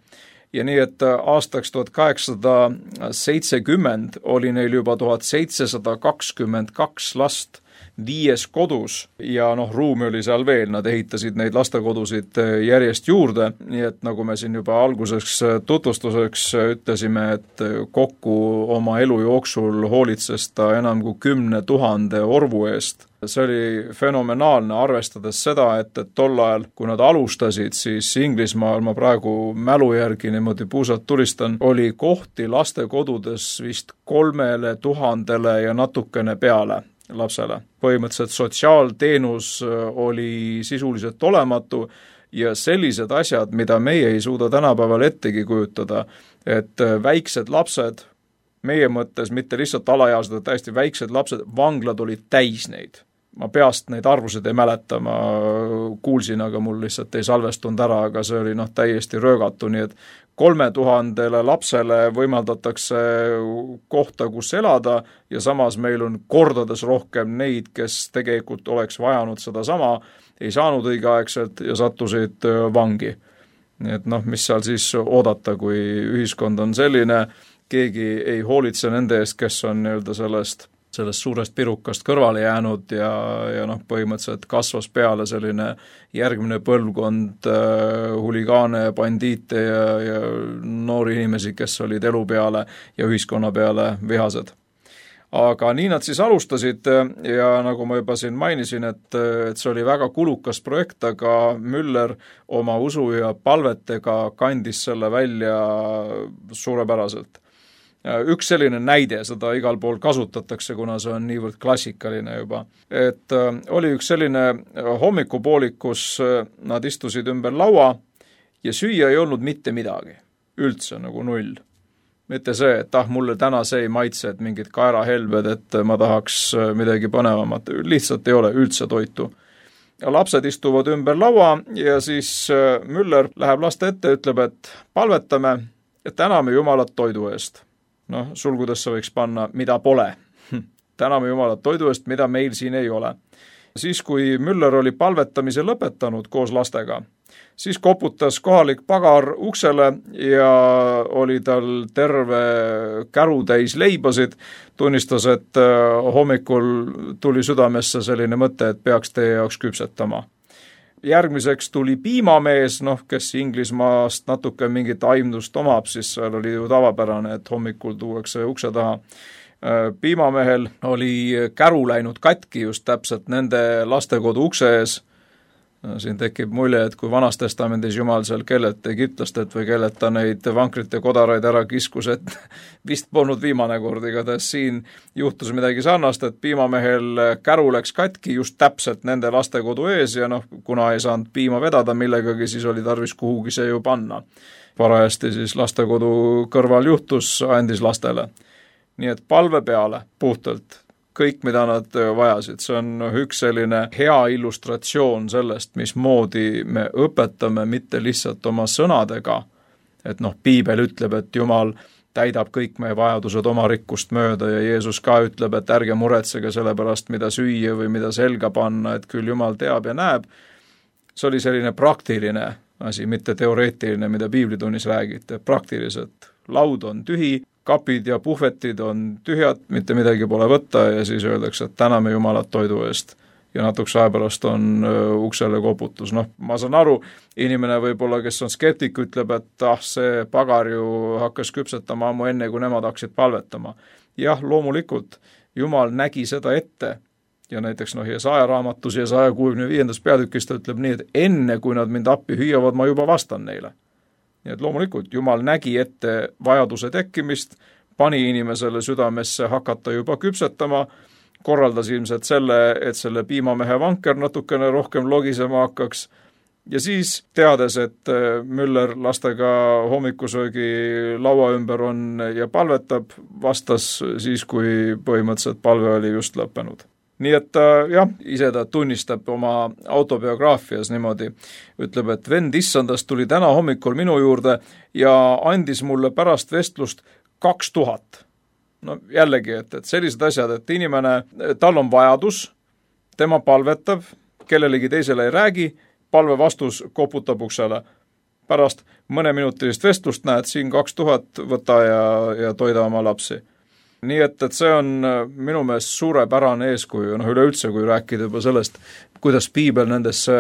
Ja nii, et aastaks tuhat kaheksasada seitsekümmend oli neil juba tuhat seitsesada kakskümmend kaks last viies kodus ja noh, ruumi oli seal veel, nad ehitasid neid lastekodusid järjest juurde, nii et nagu me siin juba alguseks tutvustuseks ütlesime, et kokku oma elu jooksul hoolitses ta enam kui kümne tuhande orvu eest. See oli fenomenaalne, arvestades seda, et, et tol ajal, kui nad alustasid, siis Inglismaal, ma praegu mälu järgi niimoodi puusalt tulistan, oli kohti lastekodudes vist kolmele tuhandele ja natukene peale lapsele. Põhimõtteliselt sotsiaalteenus oli sisuliselt olematu ja sellised asjad, mida meie ei suuda tänapäeval ettegi kujutada, et väiksed lapsed, meie mõttes mitte lihtsalt alaealised, täiesti väiksed lapsed, vanglad olid täis neid. Ma peast neid arvusid ei mäleta, ma kuulsin, aga mul lihtsalt ei salvestunud ära, aga see oli noh täiesti röögatu, nii et kolme tuhandele lapsele võimaldatakse kohta, kus elada ja samas meil on kordades rohkem neid, kes tegelikult oleks vajanud seda sama, ei saanud õigeaegselt ja sattusid vangi. Nii et noh, mis seal siis oodata, kui ühiskond on selline, keegi ei hoolitse nende eest, kes on nii-öelda sellest sellest suurest pirukast kõrvale jäänud ja, ja noh, põhimõtteliselt kasvas peale selline järgmine põlvkond äh, huligaane, bandiite ja, ja noori inimesi, kes olid elu peale ja ühiskonna peale vihased. Aga nii nad siis alustasid ja nagu ma juba siin mainisin, et, et see oli väga kulukas projekt, aga Müller oma usu ja palvetega kandis selle välja suurepäraselt. Üks selline näide, seda igal pool kasutatakse, kuna see on niivõrd klassikaline juba. Et oli üks selline hommikupoolik, kus nad istusid ümber laua ja süüa ei olnud mitte midagi. Üldse nagu null. Mitte see, et ah, mulle täna see ei maitse, et mingid kaerahelved, et ma tahaks midagi põnevamat. Lihtsalt ei ole üldse toitu. Ja lapsed istuvad ümber laua ja siis Müller läheb laste ette ja ütleb, et palvetame, et täname Jumalat toidu eest. Noh, sulgudesse võiks panna, mida pole. Täname Jumalat toidu eest, mida meil siin ei ole. Siis, kui Müller oli palvetamise lõpetanud koos lastega, siis koputas kohalik pagar uksele ja oli tal terve käru täis leibasid, tunnistas, et hommikul tuli südamesse selline mõte, et peaks teie jaoks küpsetama. Järgmiseks tuli piimamees, noh, kes Inglismaast natuke mingit aimdust omab, siis seal oli ju tavapärane, et hommikul tuuakse ukse taha. Piimamehel oli käru läinud katki just täpselt nende lastekodu ukse ees. Siin tekib mulje, et kui vanas testamendis Jumal seal kellelt egiptlastelt või kellelt ta neid vankrite kodaraid ära kiskus, et vist polnud viimane kord, igatahes siin juhtus midagi sarnast, et piimamehel käru läks katki just täpselt nende lastekodu ees ja noh, kuna ei saanud piima vedada millegagi, siis oli tarvis kuhugi see ju panna. Parajasti siis lastekodu kõrval juhtus, andis lastele. Nii et palve peale puhtalt kõik, mida nad vajasid. See on üks selline hea illustratsioon sellest, mismoodi me õpetame mitte lihtsalt oma sõnadega, et noh, piibel ütleb, et Jumal täidab kõik meie vajadused oma rikkust mööda ja Jeesus ka ütleb, et ärge muretsege selle pärast, mida süüa või mida selga panna, et küll Jumal teab ja näeb. See oli selline praktiline asi, mitte teoreetiline, mida piiblitunnis räägite, praktiliselt. Laud on tühi, kapid ja puhvetid on tühjad, mitte midagi pole võtta ja siis öeldakse, et täname Jumalat toidu eest. Ja natuks ajapärast on uksele koputus. Noh, ma saan aru, inimene võib-olla, kes on skeptik, ütleb, et ah, see pagar ju hakkas küpsetama ammu enne, kui nemad hakkasid palvetama. Jah, loomulikult, Jumal nägi seda ette ja näiteks noh, Jesaja raamatus ja saja kuuekümne viiendas peatükis ta ütleb nii, et enne, kui nad mind appi hüüavad, ma juba vastan neile. Nii et loomulikult, Jumal nägi ette vajaduse tekkimist, pani inimesele südamesse hakata juba küpsetama, korraldas ilmselt selle, et selle piimamehe vanker natukene rohkem logisema hakkaks ja siis teades, et Müller lastega hommikusöögi laua ümber on ja palvetab, vastas siis, kui põhimõtteliselt palve oli just lõppenud. Nii et jah, ise ta tunnistab oma autobiograafias niimoodi, ütleb, et vend issandast tuli täna hommikul minu juurde ja andis mulle pärast vestlust kaks tuhat. No jällegi, et, et sellised asjad, et inimene, tal on vajadus, tema palvetab, kellelegi teisele ei räägi, palve vastus koputab uksele. Pärast mõneminutilist vestlust näed siin kaks tuhat võta ja, ja toida oma lapsi. Nii et, et see on minu meelest suurepärane eeskuju, noh üleüldse, kui rääkida juba sellest, kuidas piibel nendesse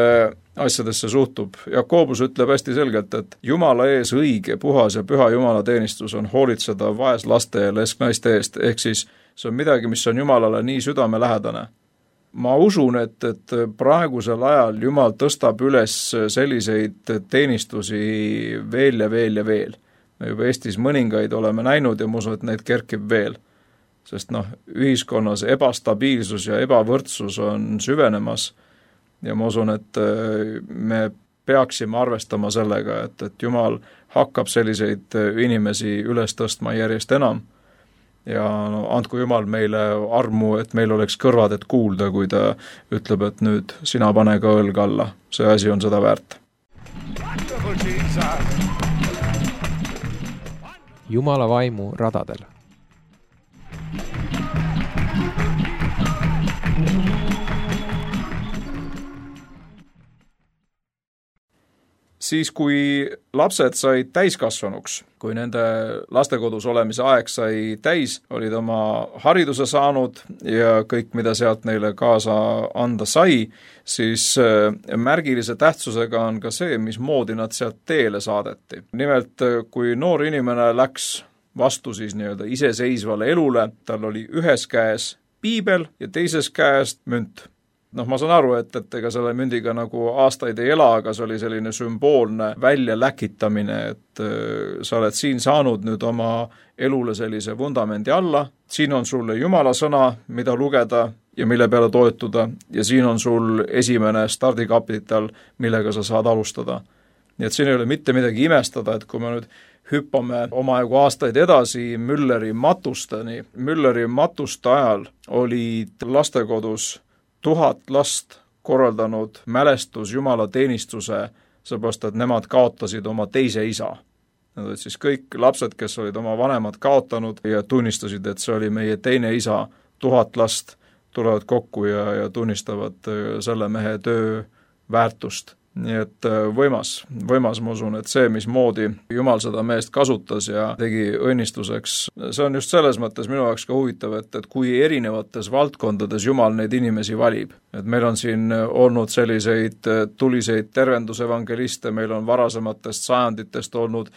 asjadesse suhtub. Jakobus ütleb hästi selgelt, et Jumala ees õige, puhas ja püha Jumala teenistus on hoolitseda vaeslaste ja lesknaiste eest, ehk siis see on midagi, mis on Jumalale nii südamelähedane. Ma usun, et, et praegusel ajal Jumal tõstab üles selliseid teenistusi veel ja veel ja veel. Me juba Eestis mõningaid oleme näinud ja ma usun, et neid kerkib veel. Sest noh, ühiskonnas ebastabiilsus ja ebavõrdsus on süvenemas ja ma usun, et me peaksime arvestama sellega, et, et Jumal hakkab selliseid inimesi üles tõstma järjest enam ja no, andku Jumal meile armu, et meil oleks kõrvad, et kuulda, kui ta ütleb, et nüüd sina pane ka õlg alla. See asi on seda väärt. Jumala vaimu radadel. Siis kui lapsed said täiskasvanuks, kui nende lastekodus olemise aeg sai täis, olid oma hariduse saanud ja kõik, mida sealt neile kaasa anda sai, siis märgilise tähtsusega on ka see, mismoodi nad sealt teele saadeti. Nimelt, kui noor inimene läks vastu siis nii-öelda iseseisvale elule, tal oli ühes käes piibel ja teises käes münt. Noh, ma saan aru, et, et ega selle mündiga nagu aastaid ei ela, aga see oli selline sümboolne välja läkitamine, et äh, sa oled siin saanud nüüd oma elule sellise vundamendi alla, siin on sulle Jumala sõna, mida lugeda ja mille peale toetuda ja siin on sul esimene stardikapital, millega sa saad alustada. Nii et siin ei ole mitte midagi imestada, et kui me nüüd hüppame omajagu aastaid edasi Mülleri matusteni, Mülleri matuste ajal olid lastekodus tuhat last korraldanud mälestus Jumala teenistuse, seepärast, et nemad kaotasid oma teise isa. Need olid siis kõik lapsed, kes olid oma vanemad kaotanud ja tunnistasid, et see oli meie teine isa, tuhat last tulevad kokku ja, ja tunnistavad selle mehe töö väärtust. Nii et võimas, võimas ma usun, et see, mismoodi Jumal seda meest kasutas ja tegi õnnistuseks, see on just selles mõttes minu jaoks ka huvitav, et, et kui erinevates valdkondades Jumal neid inimesi valib. Et meil on siin olnud selliseid tuliseid tervendusevangeliste, meil on varasematest sajanditest olnud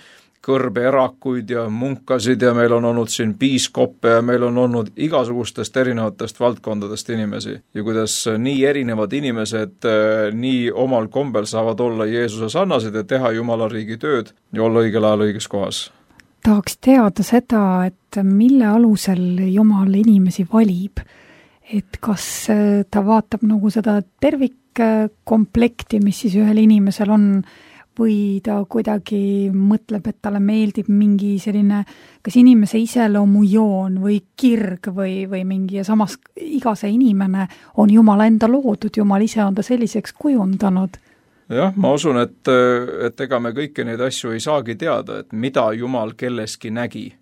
kõrbeerakuid ja munkasid ja meil on olnud siin piiskoppe ja meil on olnud igasugustest erinevatest valdkondadest inimesi. Ja kuidas nii erinevad inimesed nii omal kombel saavad olla Jeesuse sarnased ja teha Jumala riigi tööd ja olla õigel ajal õiges kohas. Tahaks teada seda, et mille alusel Jumal inimesi valib. Et kas ta vaatab nagu seda tervikkomplekti, mis siis ühel inimesel on, või ta kuidagi mõtleb, et talle meeldib mingi selline, kas inimese iseloomu joon või kirg või, või mingi ja samas iga see inimene on Jumala enda loodud, Jumal ise on ta selliseks kujundanud. Jah, ma usun, et, et ega me kõiki neid asju ei saagi teada, et mida Jumal kelleski nägi.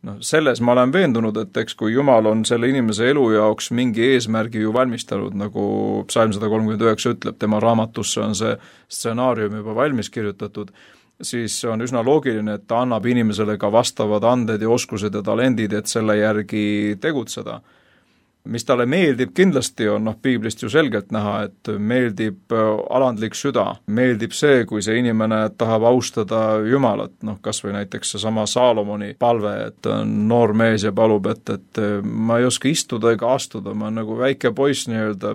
noh, selles ma olen veendunud, et eks kui Jumal on selle inimese elu jaoks mingi eesmärgi ju valmistanud, nagu psalm sada kolmkümmend üheksa ütleb, tema raamatusse on see stsenaarium juba valmis kirjutatud, siis on üsna loogiline, et ta annab inimesele ka vastavad anded ja oskused ja talendid, et selle järgi tegutseda. Mis talle meeldib kindlasti on, noh, piiblist ju selgelt näha, et meeldib alandlik süda, meeldib see, kui see inimene tahab austada Jumalat, noh, kas või näiteks see sama Saalomoni palve, et on noor mees ja palub, et, et ma ei oska istuda ega astuda, ma olen nagu väike poiss nii-öelda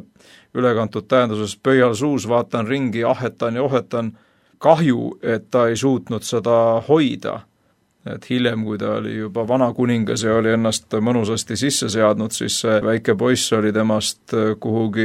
ülekantud tähenduses pöial suus, vaatan ringi, ahetan ja ohetan, kahju, et ta ei suutnud seda hoida. Et hiljem, kui ta oli juba vana kuningas ja oli ennast mõnusasti sisse seadnud, siis see väike poiss oli temast kuhugi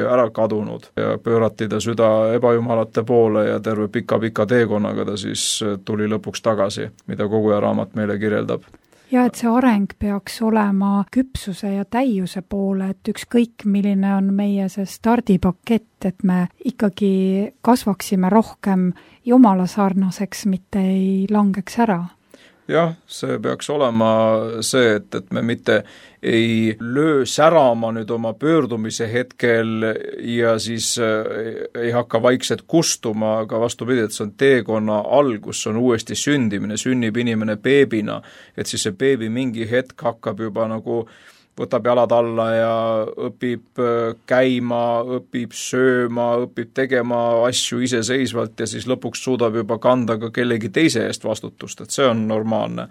ära kadunud ja pöörati ta süda ebajumalate poole ja terve pika-pika teekonnaga ta siis tuli lõpuks tagasi, mida Koguja raamat meile kirjeldab. Ja et see areng peaks olema küpsuse ja täiuse poole, et ükskõik milline on meie see stardipakett, et me ikkagi kasvaksime rohkem Jumala sarnaseks, mitte ei langeks ära. Jah, see peaks olema see, et, et me mitte ei löö särama nüüd oma pöördumise hetkel ja siis ei hakka vaikselt kustuma, aga vastupidi, et see on teekonna algus, see on uuesti sündimine, sünnib inimene beebina, et siis see beebi mingi hetk hakkab juba nagu võtab jalad alla ja õpib käima, õpib sööma, õpib tegema asju iseseisvalt ja siis lõpuks suudab juba kanda ka kellegi teise eest vastutust, et see on normaalne.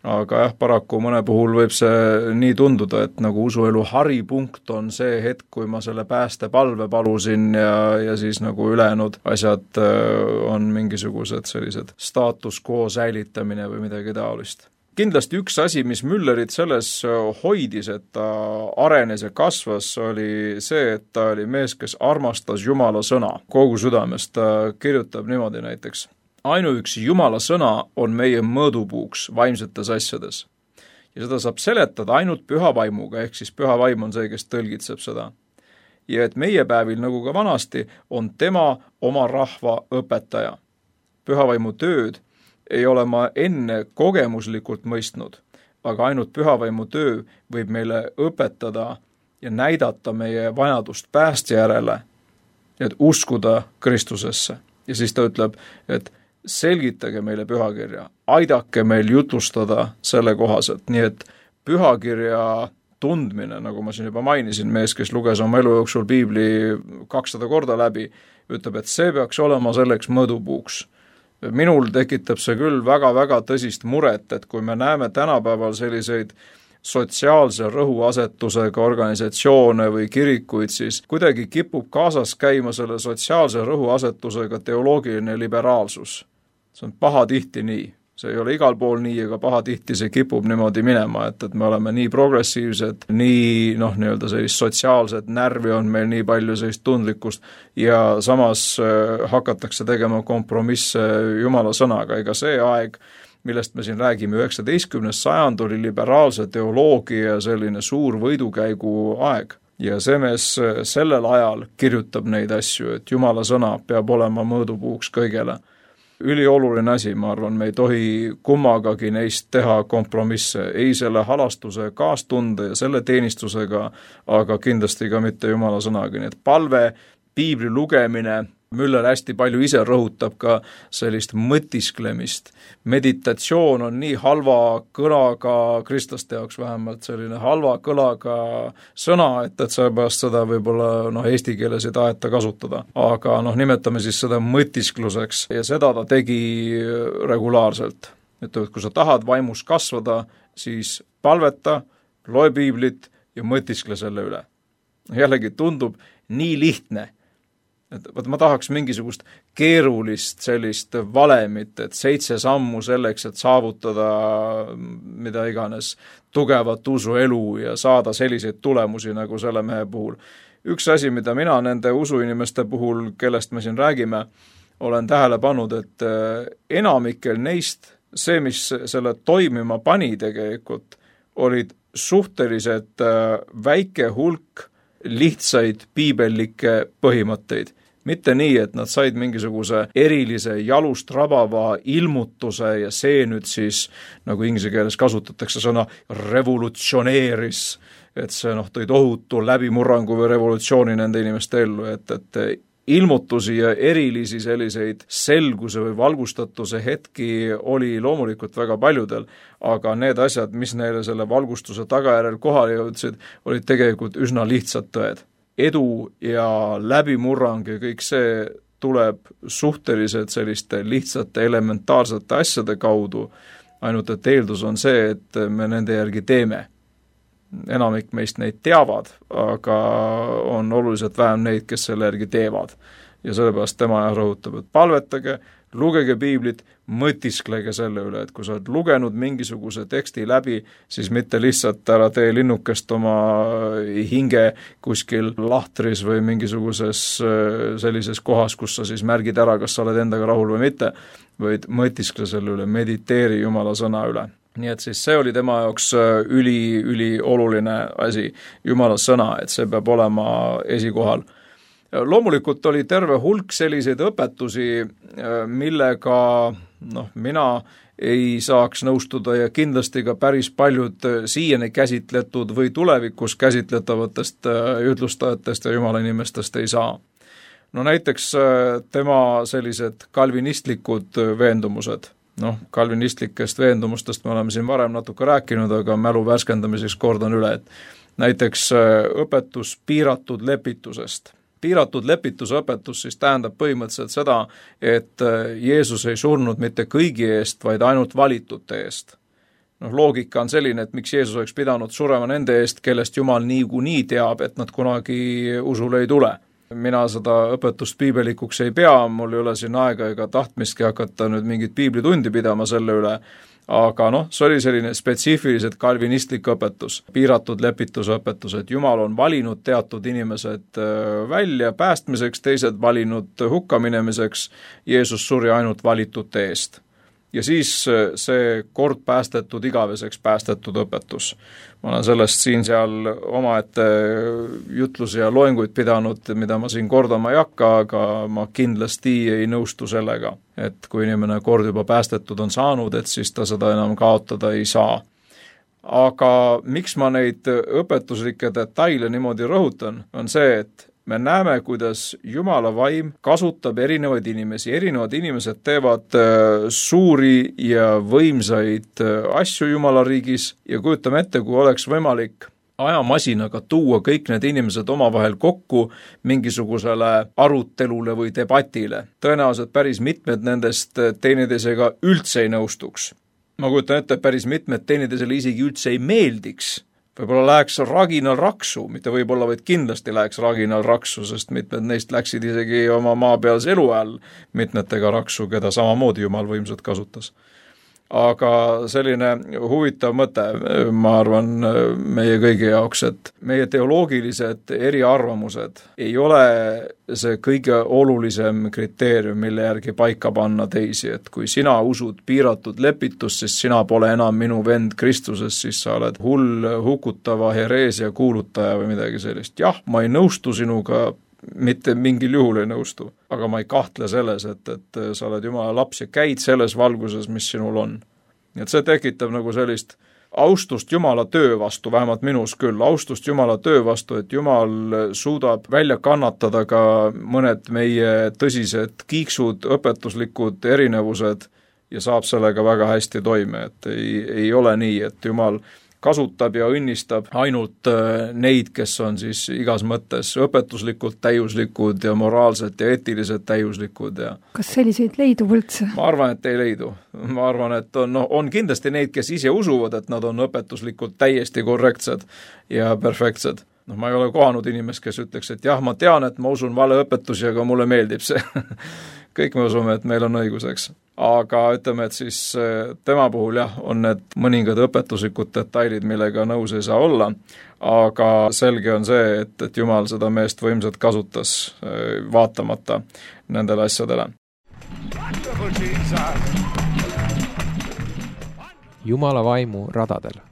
Aga jah, paraku mõne puhul võib see nii tunduda, et nagu usuelu haripunkt on see hetk, kui ma selle päästepalve palusin ja, ja siis nagu ülejäänud asjad on mingisugused sellised status quo säilitamine või midagi taolist. Kindlasti üks asi, mis Müllerit selles hoidis, et ta arenes ja kasvas, oli see, et ta oli mees, kes armastas Jumala sõna kogu südamest. Ta kirjutab niimoodi näiteks: ainuüksi Jumala sõna on meie mõõdupuuks vaimsetes asjades. Ja seda saab seletada ainult püha vaimuga, ehk siis püha vaim on see, kes tõlgitseb seda. Ja et meie päevil, nagu ka vanasti, on tema oma rahva õpetaja. Püha vaimu tööd ei ole ma enne kogemuslikult mõistnud, aga ainult pühavaimu töö võib meile õpetada ja näidata meie vajadust pääste järele, et uskuda Kristusesse. Ja siis ta ütleb, et selgitage meile pühakirja, aidake meil jutlustada selle kohaselt, nii et pühakirja tundmine, nagu ma siin juba mainisin, mees, kes luges oma elu jooksul piibli kakssada korda läbi, ütleb, et see peaks olema selleks mõõdupuuks. Minul tekitab see küll väga-väga tõsist muret, et kui me näeme tänapäeval selliseid sotsiaalse rõhuasetusega organisatsioone või kirikuid, siis kuidagi kipub kaasas käima selle sotsiaalse rõhuasetusega teoloogiline liberaalsus. See on pahatihti nii. See ei ole igal pool nii, aga pahatihti see kipub niimoodi minema, et, et me oleme nii progressiivsed, nii noh, nii-öelda sellist sotsiaalset närvi on meil nii palju sellist tundlikkust ja samas äh, hakatakse tegema kompromisse Jumala sõnaga. Ega see aeg, millest me siin räägime, üheksateistkümnes sajand oli liberaalse teoloogia selline suur võidukäigu aeg. Ja see mees sellel ajal kirjutab neid asju, et Jumala sõna peab olema mõõdupuuks kõigele. Ülioluline asi, ma arvan, me ei tohi kummagagi neist teha kompromisse, ei selle halastuse kaastunde ja selle teenistusega, aga kindlasti ka mitte Jumala sõnaga. Nii et palve, piibli lugemine, Müller hästi palju ise rõhutab ka sellist mõtisklemist. Meditatsioon on nii halva kõlaga, kristlaste jaoks vähemalt selline halva kõlaga sõna, et, et seepärast seda võib-olla noh, eesti keeles ei taheta kasutada. Aga noh, nimetame siis seda mõtiskluseks ja seda ta tegi regulaarselt. Et kui sa tahad vaimus kasvada, siis palveta, loe piiblit ja mõtiskle selle üle. Jällegi tundub nii lihtne. Et, et ma tahaks mingisugust keerulist sellist valemit, et seitse sammu selleks, et saavutada mida iganes tugevat usuelu ja saada selliseid tulemusi nagu selle mehe puhul. Üks asi, mida mina nende usuinimeste puhul, kellest me siin räägime, olen tähele pannud, et enamikel neist see, mis selle toimima pani tegelikult, olid suhteliselt väike hulk lihtsaid piibellikke põhimõtteid, mitte nii, et nad said mingisuguse erilise jalust rabava ilmutuse ja see nüüd siis, nagu inglise keeles kasutatakse sõna revolutsioneeris, et see noh, tõi tohutu läbimurrangu või revolutsiooni nende inimeste ellu, et, et ilmutusi ja erilisi selliseid selguse või valgustatuse hetki oli loomulikult väga paljudel, aga need asjad, mis neile selle valgustuse tagajärjel kohale jõudsid, olid tegelikult üsna lihtsad tõed. Edu ja läbimurrang ja kõik see tuleb suhteliselt selliste lihtsate elementaarsete asjade kaudu, ainult et eeldus on see, et me nende järgi teeme. Enamik meist neid teavad, aga on oluliselt vähem neid, kes selle järgi teevad. Ja sellepärast tema rõhutab, et palvetage, lugege piiblit, mõtisklege selle üle, et kui sa oled lugenud mingisuguse teksti läbi, siis mitte lihtsalt ära tee linnukest oma hinge kuskil lahtris või mingisuguses sellises kohas, kus sa siis märgid ära, kas sa oled endaga rahul või mitte, vaid mõtiskle selle üle, mediteeri Jumala sõna üle. Nii et siis see oli tema jaoks üli, üli oluline asi, Jumala sõna, et see peab olema esikohal. Loomulikult oli terve hulk selliseid õpetusi, millega noh, mina ei saaks nõustuda ja kindlasti ka päris paljud siiani käsitletud või tulevikus käsitletavatest ütlustajatest ja Jumala inimestest ei saa. No näiteks tema sellised kalvinistlikud veendumused. Noh, kalvinistlikest veendumustest me oleme siin varem natuke rääkinud, aga mälu värskendamiseks kordan üle, et näiteks õpetus piiratud lepitusest. Piiratud lepitusõpetus siis tähendab põhimõtteliselt seda, et Jeesus ei surnud mitte kõigi eest, vaid ainult valitute eest. Noh, loogika on selline, et miks Jeesus oleks pidanud surema nende eest, kellest Jumal niikuinii teab, et nad kunagi usule ei tule. Mina seda õpetust piibelikuks ei pea, mul ei ole siin aega ega tahtmistki hakata nüüd mingit piiblitundi pidama selle üle, aga noh, see oli selline spetsiifiliselt kalvinistlik õpetus, piiratud lepitusõpetus, et Jumal on valinud teatud inimesed välja päästmiseks, teised valinud hukkaminemiseks, Jeesus suri ainult valitute eest. Ja siis see kord päästetud, igaveseks päästetud õpetus. Ma olen sellest siin seal omaette jutlusi ja loenguid pidanud, mida ma siin kordama ei hakka, aga ma kindlasti ei nõustu sellega, et kui inimene kord juba päästetud on saanud, et siis ta seda enam kaotada ei saa. Aga miks ma neid õpetuslikke detaile niimoodi rõhutan, on see, et me näeme, kuidas Jumala vaim kasutab erinevaid inimesi. Erinevad inimesed teevad suuri ja võimsaid asju Jumala riigis ja kujutame ette, kui oleks võimalik ajamasinaga tuua kõik need inimesed omavahel kokku mingisugusele arutelule või debatile. Tõenäoliselt päris mitmed nendest teineteisega üldse ei nõustuks. Ma kujutan ette, päris mitmed teineteisele isegi üldse ei meeldiks. Võib-olla läheks raginal raksu, mitte võib-olla, vaid kindlasti läheks raginal raksu, sest mitmed neist läksid isegi oma maapealse elu ajal mitmetega raksu, keda samamoodi Jumal võimsalt kasutas. Aga selline huvitav mõte, ma arvan, meie kõigi jaoks, et meie teoloogilised eriarvamused ei ole see kõige olulisem kriteerium, mille järgi paika panna teisi, et kui sina usud piiratud lepitust, siis sina pole enam minu vend Kristuses, siis sa oled hull, hukutava hereesia kuulutaja või midagi sellist. Jah, ma ei nõustu sinuga, mitte mingil juhul ei nõustu, aga ma ei kahtle selles, et, et sa oled Jumala laps ja käid selles valguses, mis sinul on. Nii et see tekitab nagu sellist austust Jumala töö vastu, vähemalt minus küll, austust Jumala töö vastu, et Jumal suudab välja kannatada ka mõned meie tõsised kiiksud, õpetuslikud erinevused ja saab sellega väga hästi toime, et ei, ei ole nii, et Jumal kasutab ja õnnistab ainult neid, kes on siis igas mõttes õpetuslikult täiuslikud ja moraalselt ja eetiliselt täiuslikud. Ja kas selliseid leidub üldse? Ma arvan, et ei leidu. Ma arvan, et on, no, on kindlasti neid, kes ise usuvad, et nad on õpetuslikult täiesti korrektsed ja perfektsed. No, ma ei ole kohanud inimest, kes ütleks, et jah, ma tean, et ma usun vale õpetusi, aga mulle meeldib see. Kõik me usume, et meil on õiguseks. Aga ütleme, et siis tema puhul jah, on need mõningad õpetuslikud detailid, millega nõus ei saa olla, aga selge on see, et, et Jumal seda meest võimsalt kasutas vaatamata nendele asjadele. Jumala vaimu radadel.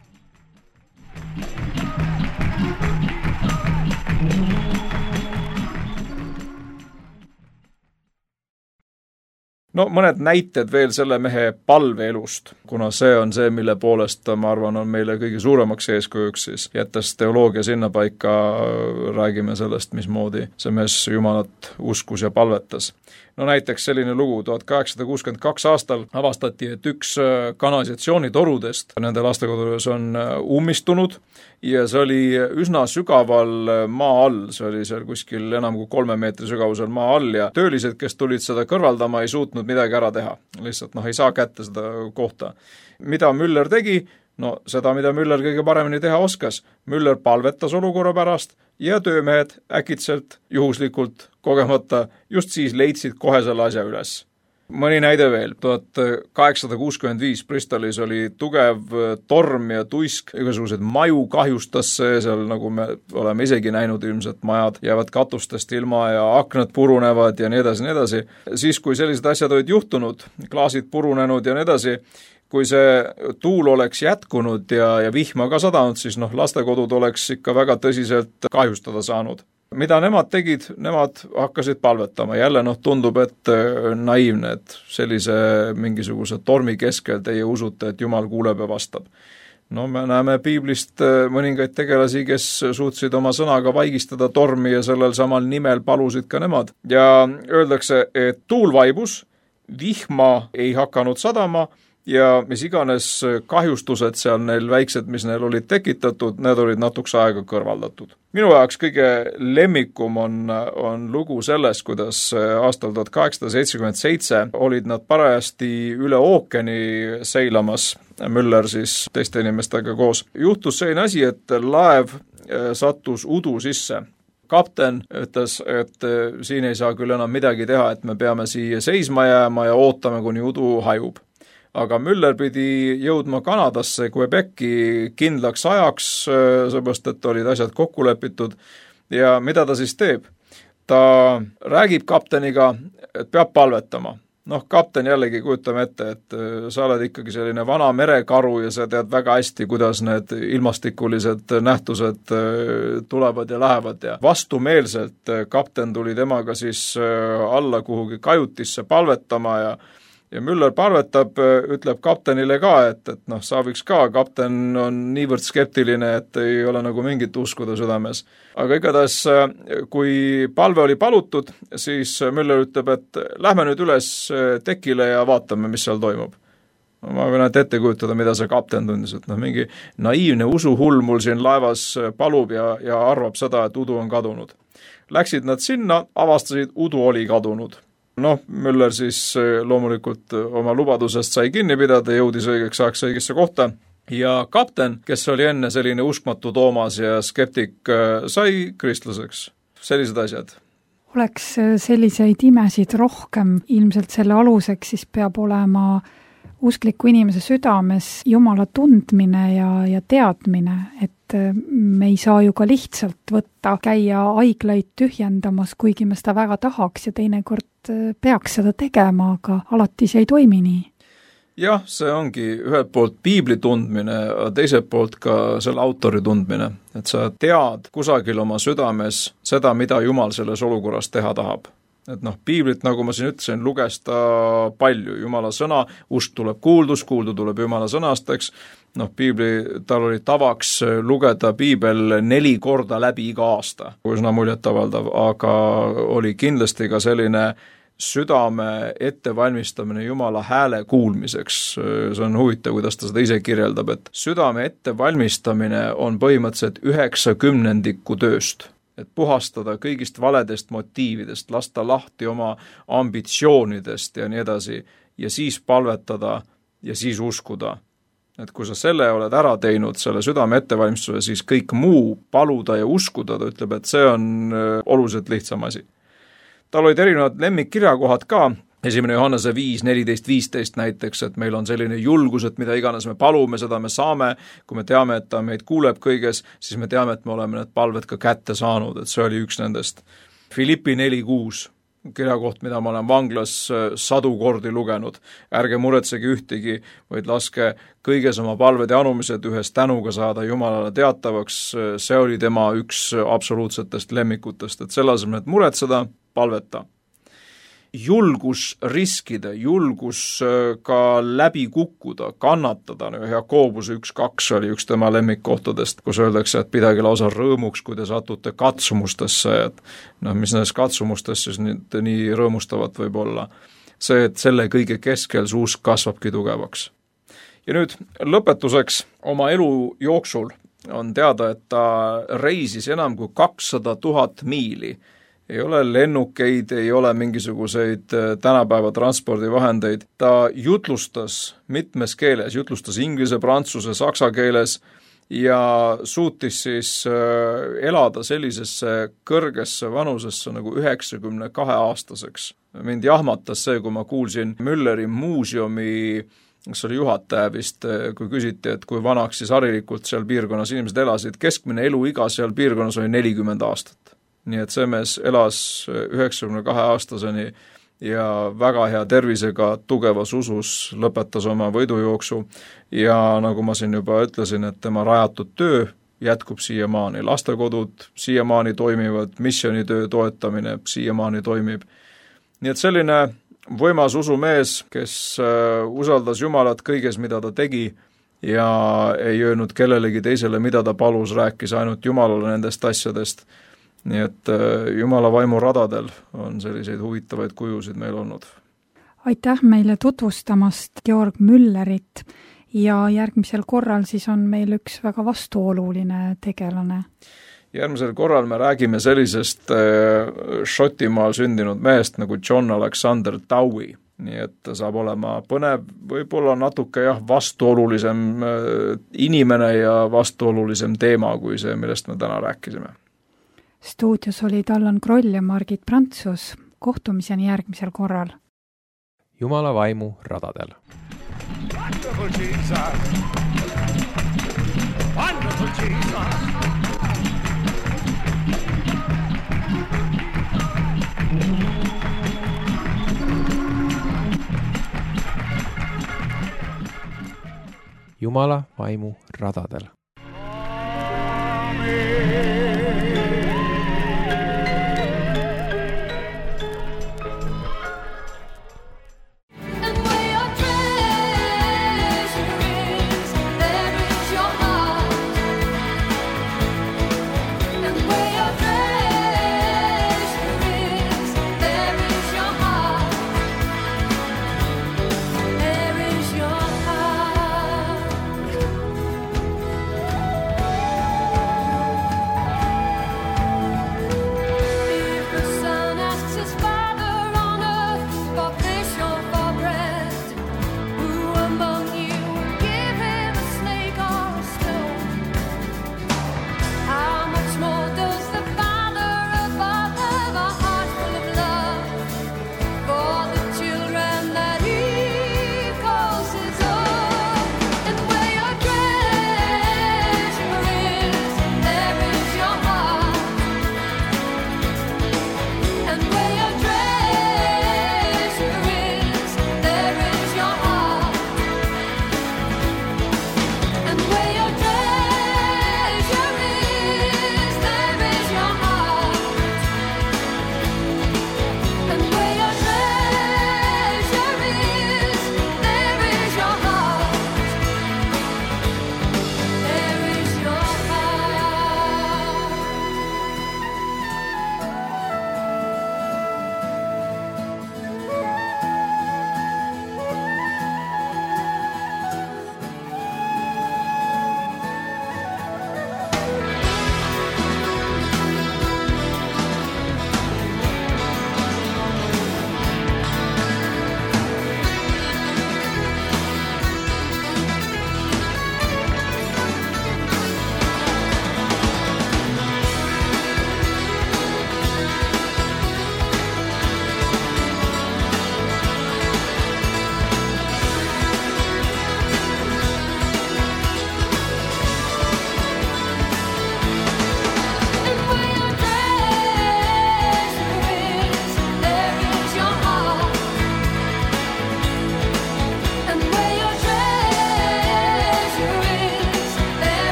no mõned näited veel selle mehe palveelust, kuna see on see, mille poolest ma arvan, on meile kõige suuremaks eeskujuks siis. Jättes teoloogia sinna paika, räägime sellest, mismoodi see mees Jumalat uskus ja palvetas. No näiteks selline lugu, tuhat kaheksasada kuuskümmend kaks aastal avastati, et üks kanalisatsioonitorudest nende lastekodus on ummistunud ja see oli üsna sügaval maa all, see oli seal kuskil enam kui kolme meetri sügavusel maa all ja töölised, kes tulid seda kõrvaldama, ei suutnud midagi ära teha. Lihtsalt noh, ei saa kätte seda kohta. Mida Müller tegi? No seda, mida Müller kõige paremini teha oskas. Müller palvetas olukorra pärast ja töömehed äkitselt, juhuslikult, kogemata, just siis leidsid kohe selle asja üles. Mõni näide veel. tuhat kaheksasada kuuskümmend viis Bristolis oli tugev torm ja tuisk, igasugused maju kahjustas see, seal nagu me oleme isegi näinud ilmselt majad jäävad katustest ilma ja aknad purunevad ja nii edasi, nii edasi. Siis, kui sellised asjad olid juhtunud, klaasid purunenud ja nii edasi, kui see tuul oleks jätkunud ja, ja vihma ka sadanud, siis noh, lastekodud oleks ikka väga tõsiselt kahjustada saanud. Mida nemad tegid? Nemad hakkasid palvetama. Jälle noh, tundub, et naiivne, et sellise mingisuguse tormi keskel teie usute, et Jumal kuuleb ja vastab. No me näeme piiblist mõningaid tegelasi, kes suutsid oma sõnaga vaigistada tormi ja sellel samal nimel palusid ka nemad. Ja öeldakse, et tuul vaibus, vihma ei hakanud sadama, ja mis iganes kahjustused seal neil väiksed, mis neil olid tekitatud, need olid natuks aega kõrvaldatud. Minu jaoks kõige lemmikum on, on lugu sellest, kuidas aastal tuhat kaheksasada seitsekümmend seitse olid nad parajasti üle ookeani seilamas, Müller siis teiste inimestega koos. Juhtus selline asi, et laev sattus udu sisse. Kapten ütles, et siin ei saa küll enam midagi teha, et me peame siia seisma jääma ja ootame, kuni udu hajub. Aga Müller pidi jõudma Kanadasse Quebeci kindlaks ajaks, seepärast, et olid asjad kokku lepitud. Ja mida ta siis teeb? Ta räägib kapteniga, et peab palvetama. Noh, kapten jällegi kujutame ette, et sa oled ikkagi selline vana merekaru ja sa tead väga hästi, kuidas need ilmastikulised nähtused tulevad ja lähevad. Ja vastumeelselt kapten tuli temaga siis alla kuhugi kajutisse palvetama ja Ja Müller palvetab, ütleb kaptenile ka, et, et noh, sa võiks ka, kapten on niivõrd skeptiline, et ei ole nagu mingit uskuda südames. Aga igatahes, kui palve oli palutud, siis Müller ütleb, et lähme nüüd üles tekile ja vaatame, mis seal toimub. Ma võin ette kujutada, mida see kapten tundis, et noh, mingi naiivne usuhull mul siin laevas palub ja, ja arvab seda, et udu on kadunud. Läksid nad sinna, avastasid, udu oli kadunud. Noh, Müller siis loomulikult oma lubadusest sai kinni pidada, jõudis õigeks ajaks õigesse kohta ja kapten, kes oli enne selline uskmatu Toomas ja skeptik, sai kristlaseks. Sellised asjad. Oleks selliseid imesid rohkem, ilmselt selle aluseks siis peab olema uskliku inimese südames Jumala tundmine ja, ja teadmine, et me ei saa ju ka lihtsalt võtta, käia haiglaid tühjendamas, kuigi me seda väga tahaks ja teinekord peaks seda tegema, aga alati see ei toimi nii. Jah, see ongi ühelt poolt piibli tundmine, teiselt poolt ka selle autori tundmine, et sa tead kusagil oma südames seda, mida Jumal selles olukorras teha tahab. Et noh, piiblit, nagu ma siin ütlesin, luges ta palju, Jumala sõna, usk tuleb kuuldus, kuuldu tuleb Jumala sõnast, eks. Noh, piibli, tal oli tavaks lugeda piibel neli korda läbi iga aasta, üsna muljetavaldav, aga oli kindlasti ka selline südame ettevalmistamine Jumala hääle kuulmiseks. See on huvitav, kuidas ta seda ise kirjeldab, et südame ettevalmistamine on põhimõtteliselt üheksakümnendiku tööst. Et puhastada kõigist valedest motiividest, lasta lahti oma ambitsioonidest ja nii edasi, ja siis palvetada ja siis uskuda. Et kui sa selle oled ära teinud, selle südame ettevalmistuse, siis kõik muu paluda ja uskuda, ta ütleb, et see on oluliselt lihtsam asi. Tal olid erinevad lemmikkirjakohad ka, esimene Johannese viis, neliteist, viisteist näiteks, et meil on selline julgus, et mida iganes me palume, seda me saame, kui me teame, et ta meid kuuleb kõiges, siis me teame, et me oleme need palved ka kätte saanud, et see oli üks nendest. Filippi neli kuus, kirjakoht, mida ma olen vanglas sadu kordi lugenud. Ärge muretsege ühtegi, vaid laske kõiges oma palved ja anumised ühes tänuga saada Jumalale teatavaks. See oli tema üks absoluutsetest lemmikutest, et selle asemel, et muretseda, palveta. julgus riskida, julgus ka läbi kukkuda, kannatada. Jakobuse üks kaks oli üks tema lemmikkohtadest, kus öeldakse, et pidage lausa rõõmuks, kui te satute katsumustesse, et noh, mis nendes katsumustesse siis nii, nii rõõmustavat võib olla. See, et selle kõige keskel su usk kasvabki tugevaks. Ja nüüd lõpetuseks oma elu jooksul on teada, et ta reisis enam kui kakssada tuhat miili. Ei ole lennukeid, ei ole mingisuguseid tänapäeva transpordivahendeid. Ta jutlustas mitmes keeles, jutlustas inglise, prantsuse, saksa keeles ja suutis siis elada sellisesse kõrgesse vanusesse nagu üheksakümne kahe aastaseks. Mind jahmatas see, kui ma kuulsin Mülleri muuseumi, kes oli juhataja vist, kui küsiti, et kui vanaks siis harilikult seal piirkonnas inimesed elasid, keskmine eluiga seal piirkonnas oli nelikümmend aastat. Nii et see mees elas üheksakümne kahe aastaseni ja väga hea tervisega, tugevas usus lõpetas oma võidujooksu ja nagu ma siin juba ütlesin, et tema rajatud töö jätkub siiamaani. Lastekodud siiamaani toimivad, missioonitöö toetamine siiamaani toimib. Nii et selline võimas usumees, kes usaldas Jumalat kõiges, mida ta tegi ja ei öelnud kellelegi teisele, mida ta palus, rääkis ainult Jumalale nendest asjadest. Nii et Jumala vaimu radadel on selliseid huvitavaid kujusid meil olnud. Aitäh meile tutvustamast Georg Müllerit ja järgmisel korral siis on meil üks väga vastuoluline tegelane. Järgmisel korral me räägime sellisest Šotimaal sündinud mehest nagu John Alexander Dowie. Nii et ta saab olema põnev, võib-olla natuke jah, vastuolulisem inimene ja vastuolulisem teema kui see, millest me täna rääkisime. Stuudios olid Allan Kroll ja Margit Prantsus. Kohtumiseni järgmisel korral. Jumala vaimu radadel. Wonderful Jesus. Wonderful Jesus. Jumala vaimu radadel. Amen.